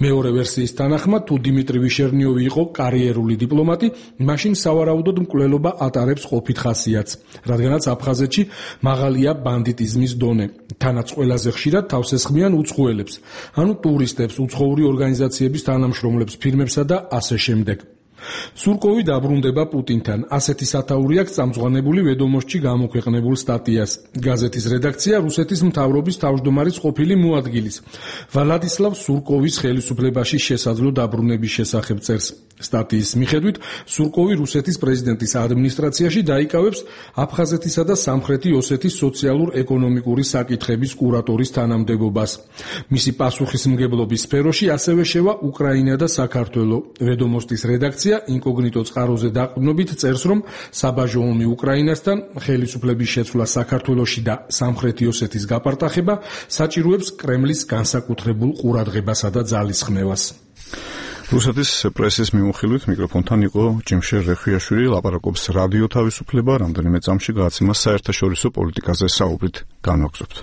მეორე ვერსიის თანახმად, თუ დიმიტრი ვიშერნიოვი იყო კარიერული დიპლომატი, მაშინ სავარაუდოდ მკვლელობა ატარებს ყოფით ხასიათს, რადგანაც აფხაზეთში მაღალია ბანდიტიზმის დონე. თანაც ყველაზე ხშირად თავს ესხმიან უცხოელებს, ანუ ტურისტებს, უცხოური ორგანიზაციების თანამშრომლებს, ფირმებსა და ასე შემდეგ. სურკოვი დაბრუნდება პუტინთან. ასეთი სათაური აქვს წამწვანებული ვედომოსტში გამოქვეყნებულ სტატიას. გაზეთის რედაქცია რუსეთის მთავრობის თავმჯდომარის ყოფილი მოადგილის ვლადისლავ სურკოვის ხელისუფლებაში შესაძლო დაბრუნების შესახებ წერს. სტატიის მიხედვით, სურკოვი რუსეთის პრეზიდენტის ადმინისტრაციაში დაიკავებს აფხაზეთისა და სამხრეთი ოსეთის სოციალურ-ეკონომიკური საკითხების კურატორის თანამდებობას. მისი პასუხისმგებლობის სფეროში ასევე შევა უკრაინა და საქართველო. ვედომოსტის რედაქცია ინკოგნიტო წყაროზე დაყრდნობით წერს, რომ საბაჟო ომი უკრაინასთან, ხელისუფლების შეცვლა საქართველოში და სამხრეთი ოსეთის გაპარტახება საჭიროებს კრემლის განსაკუთრებულ ყურადღებასა და ძალისხმევას. რუსეთის პრესის მიმოხილვით მიკროფონთან იყო ჯიმშერ რეხვიაშვილი, ლაპარაკობს რადიო თავისუფლება, რამდენიმე წამში გააცემა საერთაშორისო პოლიტიკაზე საუბრით განვაგრძობთ.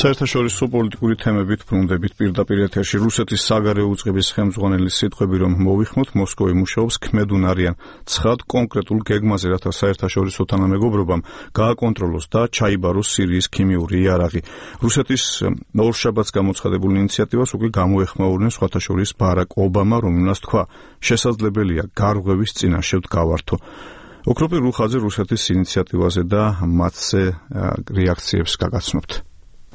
საერთაშორისო პოლიტიკური თემებით ბრუნდებით პირდაპირ ეთერში რუსეთის საგარეო უწყების ხელმძღვანელის სიტყვები, რომ მოვიხმოთ, მოსკოვი მუშაობს ქმედუნ არიან ცხად კონკრეტულ გეგმაზე, რათა საერთაშორისო თანამეგობრობამ გააკონტროლოს და ჩაიბაროს სირიის ქიმიური იარაღი. რუსეთის ორშაბათს გამოცხადებულ ინიციატივას უკვე გამოეხმაურნენ სხვათა შორის ბარაკ ობამა, რომელმაც თქვა, შესაძლებელია გარღვევის წინაშე ვდგავართო. ოქროპირ რუხაძე რუსეთის ინიციატივაზე და მათზე რეაქციებს გაგაცნობთ.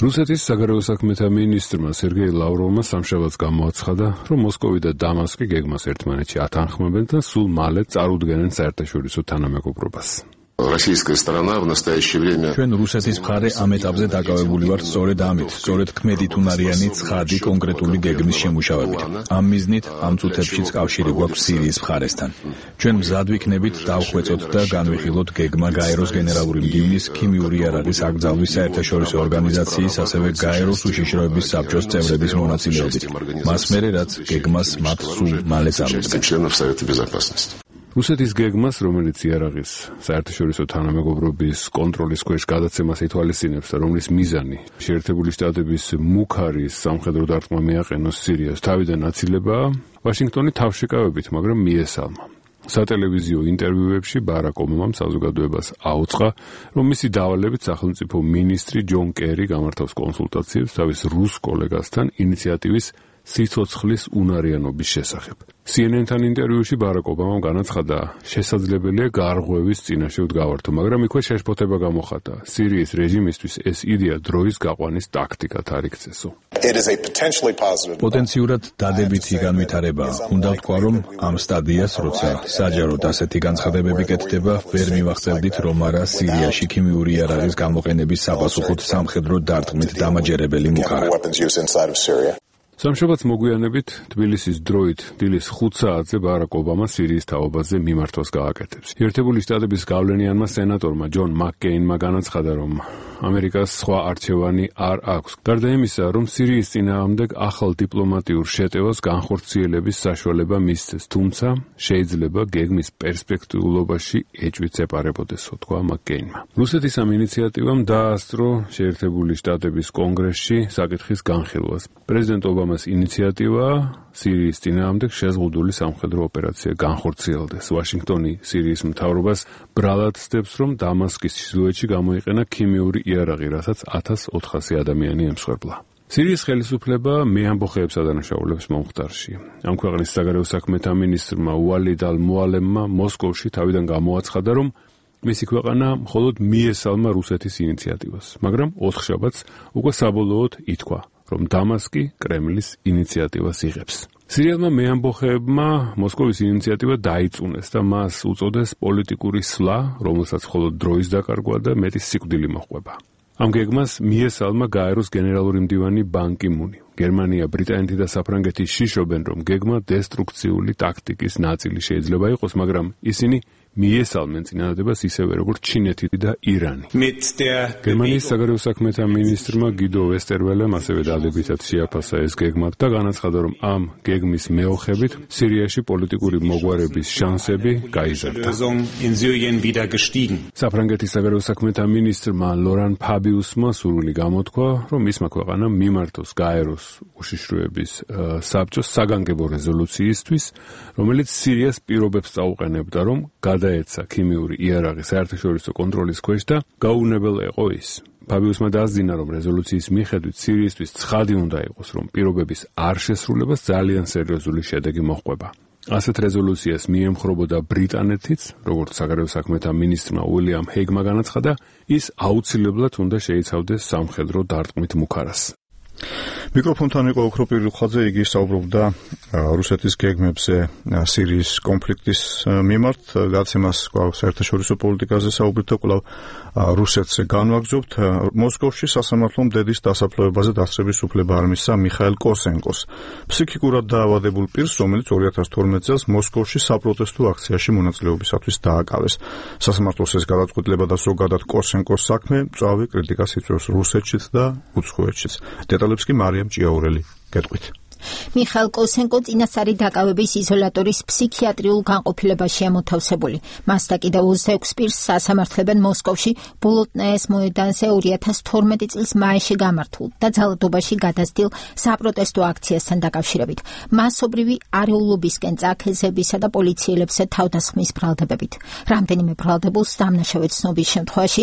რუსეთის საგარეო საქმეთა მინისტრმა სერგეი ლავროვმა სამშაბათს გამოაცხადა, რომ მოსკოვი და დამასკი გეგმას ერთმანეთში ათანხმებენ და სულ მალე წარუდგენენ საერთაშორისო თანამეგობრობას. ჩვენ რუსეთის მხარე ამ ეტაპზე დაკავებული ვართ სწორედ ამით, სწორედ ქმედითუნარიანი ცხადი კონკრეტული გეგმის შემუშავებით. ამ მიზნით ამ წუთებშიც კავშირი გვაქვს სირიის მხარესთან. ჩვენ მზად ვიქნებით დავხვეწოთ და განვიხილოთ გეგმა გაეროს გენერალური მდივნის ქიმიური იარაღის აკრძალვის საერთაშორისო ორგანიზაციის, ასევე გაეროს უშიშროების საბჭოს წევრების მონაწილეობით. მას მერე რაც გეგმას მათ სულ მალე წარუდგენ. რუსეთის გეგმას, რომელიც იარაღის საერთაშორისო თანამეგობრობის კონტროლის ქვეშ გადაცემას ითვალისწინებს და რომლის მიზანი შეერთებული შტატების მუქარის სამხედრო დარტყმა მიაყენოს სირიას, თავიდან აცილებაა, ვაშინგტონი თავშეკავებით, მაგრამ მიესალმა. სატელევიზიო ინტერვიუებში ბარაკ ობამამ საზოგადოებას აუწყა, რომ მისი დავალებით სახელმწიფო მინისტრი ჯონ კერი გამართავს კონსულტაციებს თავის რუს კოლეგასთან ინიციატივის სიცოცხლის უნარიანობის შესახებ. C N N-თან ინტერვიუში ბარაკ ობამამ განაცხადა, შესაძლებელია გარღვევის წინაშე ვდგავართო, მაგრამ იქვე შეშფოთება გამოხატა. სირიის რეჟიმისთვის ეს იდეა დროის გაყვანის ტაქტიკად არ იქცესო. პოტენციურად დადებითი განვითარებაა. უნდა ვთქვა, რომ ამ სტადიას, როცა საჯაროდ ასეთი განცხადებები კეთდება, ვერ მივახცევდით, რომ არა სირიაში ქიმიური იარაღის გამოყენების საპასუხოდ სამხედრო დარტყმით დამაჯერებელი მუხარა. სამშაბათს მოგვიანებით თბილისის დროით დილის ხუთ საათზე ბარაკ ობამა სირიის თაობაზე მიმართვას გააკეთებს. ერთებული შტატების გავლენიანმა სენატორმა ჯონ მაკკეინმა განაცხადა, რომ ამერიკას სხვა არჩევანი არ აქვს. გარდა იმისა, რომ სირიის წინააღმდეგ ახალ დიპლომატიურ შეტევას განხორციელების საშუალება მისცეს, თუმცა შეიძლება გეგმის პერსპექტიულობაში ეჭვიც ეპარებოდესო, თქვა მაკკეინმა. რუსეთის ამ ინიციატივამ დაასწრო შეერთებული შტატების კონგრესში საკითხის განხილვას. პრეზიდენტ ობამას ინიციატივა სირიის წინააღმდეგ შეზღუდული სამხედრო ოპერაცია განხორციელდეს. ვაშინგტონი სირიის მთავრობას ბრალად ცდებს, რომ დამასკის ჩრდილოეთში გამოიყენა ქიმიური იარაღი, რასაც ათას ოთხასი ადამიანი ემსხვერპლა. სირიის ხელისუფლება მეამბოხეებს ადანაშაულებს მომხდარში. ამ ქვეყნის საგარეო საქმეთა მინისტრმა უალიდ ალ-მუალემმა მოსკოვში თავიდან გამოაცხადა, რომ მისი ქვეყანა მხოლოდ მიესალმა რუსეთის ინიციატივას, მაგრამ ოთხშაბათს უკვე საბოლოოდ ითქვა, რომ დამასკი კრემლის ინიციატივას იღებს. სირიელმა მეამბოხეებმა მოსკოვის ინიციატივა დაიწუნეს და მას უწოდეს პოლიტიკური სვლა, რომელსაც მხოლოდ დროის დაკარგვა და მეტი სიკვდილი მოჰყვება. ამ გეგმას მიესალმა გაეროს გენერალური მდივანი ბან კი მუნი. გერმანია, ბრიტანეთი და საფრანგეთი შიშობენ, რომ გეგმა დესტრუქციული ტაქტიკის ნაწილი შეიძლება იყოს, მაგრამ ისინი მიესალმენ წინადადებას ისევე როგორც ჩინეთი და ირანი. გერმანიის საგარეო საქმეთა მინისტრმა გიდო ვესტერველემ ასევე დადებითად შეაფასა ეს გეგმა და განაცხადა, რომ ამ გეგმის მეოხებით სირიაში პოლიტიკური მოგვარების შანსები გაიზარდა. საფრანგეთის საგარეო საქმეთა მინისტრმა ლორან ფაბიუსმა სურვილი გამოთქვა, რომ მისმა ქვეყანამ მიმართოს გაეროს უშიშროების საბჭოს საგანგებო რეზოლუციისთვის, რომელიც სირიას პირობებს წაუყენებდა, რომ გადაეცა ქიმიური იარაღი საერთაშორისო კონტროლის ქვეშ და გაუვნებელ იყო ის. ფაბიუსმა დაასძინა, რომ რეზოლუციის მიხედვით სირიისთვის ცხადი უნდა იყოს, რომ პირობების არ შესრულებას ძალიან სერიოზული შედეგი მოჰყვება. ასეთ რეზოლუციას მიემხრობოდა ბრიტანეთიც, როგორც საგარეო საქმეთა მინისტრმა უილიამ ჰეიგმა განაცხადა, ის აუცილებლად უნდა შეიცავდეს სამხედრო დარტყმით მუქარას. მიკროფონთან იყო ოქროპირ რუხაძე, იგი საუბრობდა რუსეთის გეგმებზე სირიის კონფლიქტის მიმართ, გაცემას საერთაშორისო პოლიტიკაზე საუბრით, კვლავ რუსეთს განვაგრძობთ. მოსკოვში სასამართლომ დედის დასაფლავებაზე დასწრების უფლება არ მისცა მიხაილ კოსენკოს, ფსიქიკურად დაავადებულ პირს, რომელიც ორი ათას თორმეტ წელს მოსკოვში საპროტესტო აქციაში მონაწილეობისათვის დააკავეს. სასამართლოს ეს გადაწყვეტილება და ზოგადად კოსენკოს საქმე მწვავე კრიტიკას იწვევს რუსეთშიც და უცხოეთშიც. დეტალებს კი მარიამ ჭიაურელი გეტყვით. მიხაილ კოსენკო წინასწარი დაკავების იზოლატორის ფსიქიატრიულ განყოფილებაშია მოთავსებული. მას და კიდევ ოცდაექვსი პირს სასამართლებენ მოსკოვში ბოლოტნაეს მოედანზე ორი ათას თორმეტი წლის მაისში გამართულ და ძალადობაში გადასtildeულ საპროტესტო აქციასთან დაკავშირებით. მასობრივი არეულობისკენ წაქეზებისა და პოლიციელებსა თავდასხმის ბრალდებებით. რამდენიმე ბრალდებულს დამნაშავე ცნობის შემთხვევაში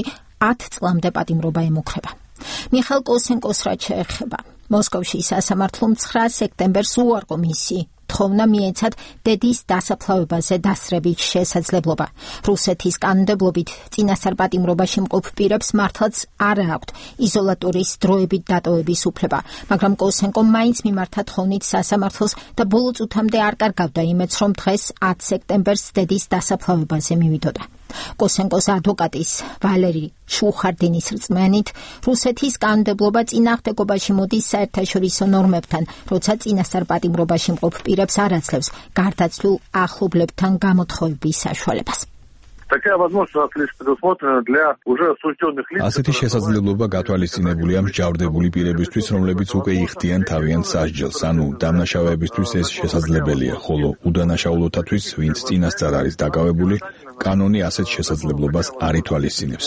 ათ წლამდე პატიმრობა ემუქრება. მიხაილ კოსენკოს რაც შეეხება, მოსკოვში სასამართლომ ცხრა სექტემბერს უარყო მისი თხოვნა მიეცათ დედის დასაფლავებაზე დასწრების შესაძლებლობა. რუსეთის კანონმდებლობით წინასწარ პატიმრობაში მყოფ პირებს მართლაც არ აქვთ იზოლატორის დროებით დატოვების უფლება, მაგრამ კოსენკომ მაინც მიმართა თხოვნით სასამართლოს და ბოლო წუთამდე არ კარგავდა იმედს, რომ დღეს ათ სექტემბერს დედის დასაფლავებაზე მივიდოდა. კოსენკოს ადვოკატის ვალერი შუხარდინის რწმენით, რუსეთის კანონმდებლობა წინააღმდეგობაში მოდის საერთაშორისო ნორმებთან, როცა წინასწარ პატიმრობაში მყოფ პირებს არ აძლევს გარდაცვლილ ახლობლებთან გამოთხოვების საშუალებას. ასეთი შესაძლებლობა გათვალისწინებულია მსჯავრდებული პირებისთვის, რომლებიც უკვე იხდიან თავიანთ სასჯელს, ანუ დამნაშავეებისთვის ეს შესაძლებელია, ხოლო უდანაშაულოთათვის, ვინც წინასწარ არის დაკავებული, კანონი ასეთ შესაძლებლობას არ ითვალისწინებს.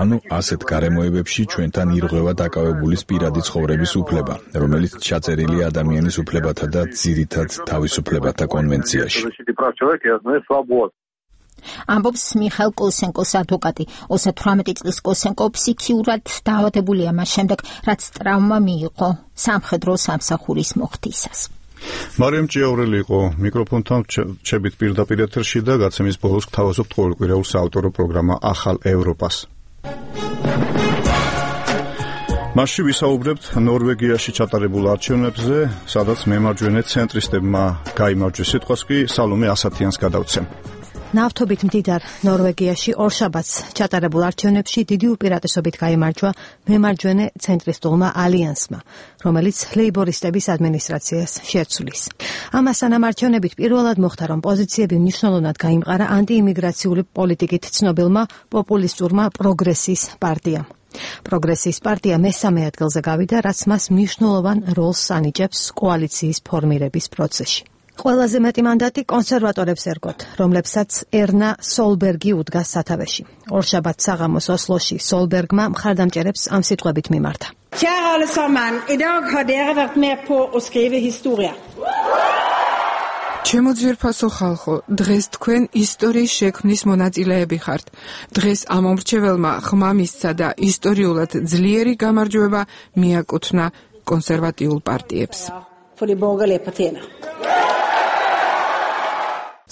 ანუ ასეთ გარემოებებში ჩვენთან ირღვევა დაკავებულის პირადი ცხოვრების უფლება, რომელიც ჩაწერილია ადამიანის უფლებათა და ძირითად თავისუფლებათა კონვენციაში. ამბობს მიხაილ კოსენკოს ადვოკატი. ოცდათვრამეტი წლის კოსენკო ფსიქიურად დაავადებულია მას შემდეგ, რაც ტრავმა მიიღო სამხედრო სამსახურის მოხდისას. მარიამ ჭიაურელი იყო მიკროფონთან, ჩებით პირდაპირ ეთერში და გაცემის ბოლოს გთავაზობთ ყოველკვირეულ საავტორო პროგრამა ახალ ევროპას. მასში ვისაუბრებთ ნორვეგიაში ჩატარებულ არჩევნებზე, სადაც მემარჯვენე ცენტრისტებმა გაიმარჯვეს, სიტყვას კი სალომე ასათიანს გადავცემ. ნავთობით მდიდარ ნორვეგიაში ორშაბათს ჩატარებულ არჩევნებში დიდი უპირატესობით გაიმარჯვა მემარჯვენე ცენტრისტულმა ალიანსმა, რომელიც ლეიბორისტების ადმინისტრაციას შეცვლის. ამასთან ამ არჩევნებით პირველად მოხდა, რომ პოზიციები მნიშვნელოვნად გაიმყარა ანტიიმიგრაციული პოლიტიკით ცნობილმა პოპულისტურმა პროგრესის პარტიამ. პროგრესის პარტია მესამე ადგილზე გავიდა, რაც მას მნიშვნელოვან როლს ანიჭებს კოალიციის ფორმირების პროცესში. ყველაზე მეტი მანდატი კონსერვატორებს ერგოთ, რომლებსაც ერნა სოლბერგი უდგას სათავეში. ორშაბათს საღამოს ოსლოში სოლბერგმა მხარდამჭერებს ამ სიტყვებით მიმართა. Kære alle sammen, i dag har dere vært med på at skrive historie. ჩემო ძვირფასო ხალხო, დღეს თქვენ ისტორიის შექმნის მონაწილეები ხართ. დღეს ამ მომრჩეველმა ხმა მისცა და ისტორიულად ძლიერი გამარჯვება მიაკუთვნა კონსერვატიულ პარტიებს. For de borgerlige partierne.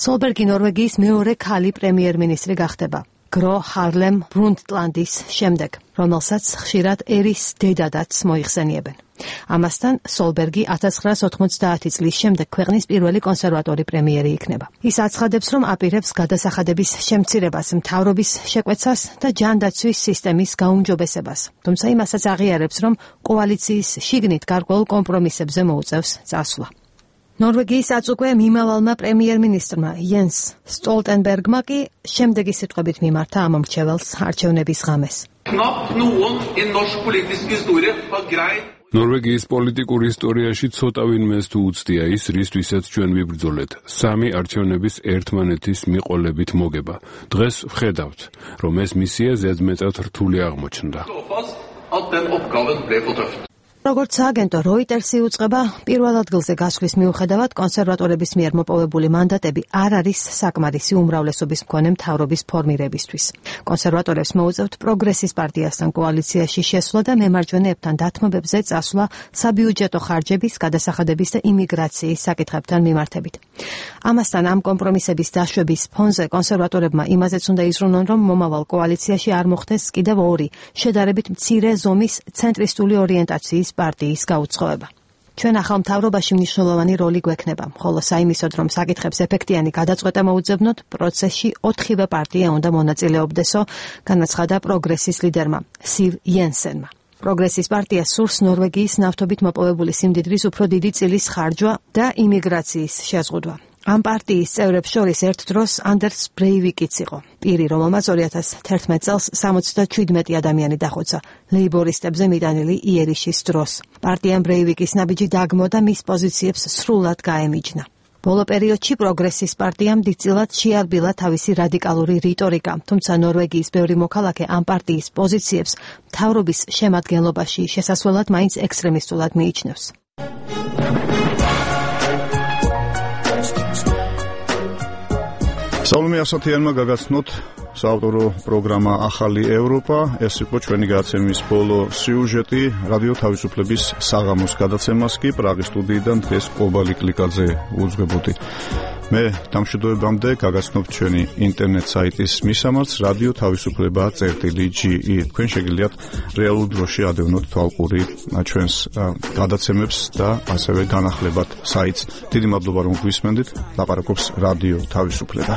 სოლბერგი ნორვეგიის მეორე ქალი პრემიერ-მინისტრი გახდება, გრო ჰარლემ ბრუნდტლანდის შემდეგ, რომელსაც ხშირად ერის დედადაც მოიხსენიებენ. ამასთან სოლბერგი ათას ცხრაას ოთხმოცდაათი წლის შემდეგ ქვეყნის პირველი კონსერვატორი პრემიერი იქნება. ის აცხადებს, რომ აპირებს გადასახადების შემცირებას, მთავრობის შეკვეცას და ჯანდაცვის სისტემის გაუმჯობესებას. თუმცა იმასაც აღიარებს, რომ კოალიციის შიგნით გარკვეულ კომპრომისებზე მოუწევს წასვლა. ნორვეგიის აწუკვე მიმავალმა პრემიერ-მინისტრმა იენს სტოლტენბერგმა კი შემდეგი სიტყვებით მიმართა ამ მომრჩეველს არჩევნების ღამეს. ნორვეგიის პოლიტიკურ ისტორიაში ცოტა ვინმეს თუ უცდია ის, რისთვისაც ჩვენ ვიბრძოლეთ, სამი არჩევნების ერთმანეთის მიყოლებით მოგება. დღეს ვხედავთ, რომ ეს მისია ზედმეტად რთული აღმოჩნდა. როგორც აგენტო Reuters-ი უწყება, პირველ ადგილზე გასვლის მიუხედავად კონსერვატორების მიერ მოპოვებული მანდატები არ არის საკმარისი უმრავლესობის მქონე მთავრობის ფორმირებისთვის. კონსერვატორებს მოუწევთ პროგრესის პარტიასთან კოალიციაში შესვლა და მემარჯვენეებთან დათმობებზე წასვლა საბიუჯეტო ხარჯების, გადასახადების და იმიგრაციის საკითხებთან მიმართებით. ამასთან ამ კომპრომისების დაშვების ფონზე კონსერვატორებმა იმაზეც უნდა იზრუნონ, რომ მომავალ კოალიციაში არ მოხდეს კიდევ ორი შედარებით მცირე ზომის ცენტრისტული ორიენტაციის პარტიის გაუწყობა. ჩვენ ახალ მთავრობაში მნიშვნელოვანი როლი გვექნება, ხოლო საიმისოდ, რომ საკითხებს ეფექტიანი გადაწყვეტა მოუძებნოთ, პროცესში ოთხივე პარტია უნდა მონაწილეობდესო, განაცხადა პროგრესის ლიდერმა სივ იენსენმა. პროგრესის პარტია სურს ნორვეგიის ნავთობით მოპოვებული სიმდიდრის უფრო დიდი წილის ხარჯვა და იმიგრაციის შეზღუდვა. ამ პარტიის წევრებს შორის ერთ დროს ანდერს ბრეივიკიც იყო. პირი, რომელმაც ორი ათას თერთმეტ წელს სამოცდაშვიდმეტი ადამიანი დახოცა ლეიბორისტებზე მიტანილი იერიშის დროს. პარტიამ ბრეივიკის ნაბიჯი დაგმო და მის პოზიციებს სრულად გაემიჯნა. ბოლო პერიოდში პროგრესის პარტიამ დიდწილად შეარბილა თავისი რადიკალური რიტორიკა, თუმცა ნორვეგიის ბევრი მოქალაქე ამ პარტიის პოზიციებს მთავრობის შემადგენლობაში შესასვლელად მაინც ექსტრემისტულად მიიჩნევს. სალომე ასათიანმა გაგაცნოთ საავტორო პროგრამა ახალი ევროპა. ეს იყო ჩვენი გადაცემის ბოლო სიუჟეტი. რადიო თავისუფლების საღამოს გადაცემას კი პრაღის სტუდიიდან დღეს კობალი კლიკაძე უძღვებოდი. მე დამშვიდობებამდე გაგაცნობთ ჩვენი ინტერნეტ საიტის მისამართს რადიო თავისუფლება წერტილი ჯი ი. თქვენ შეგიძლიათ რეალურ დროში ადევნოთ თვალყური ჩვენს გადაცემებს და ასევე განახლებათ საიტს. დიდი მადლობა რომ გვისმენდით. ლაპარაკობს რადიო თავისუფლება.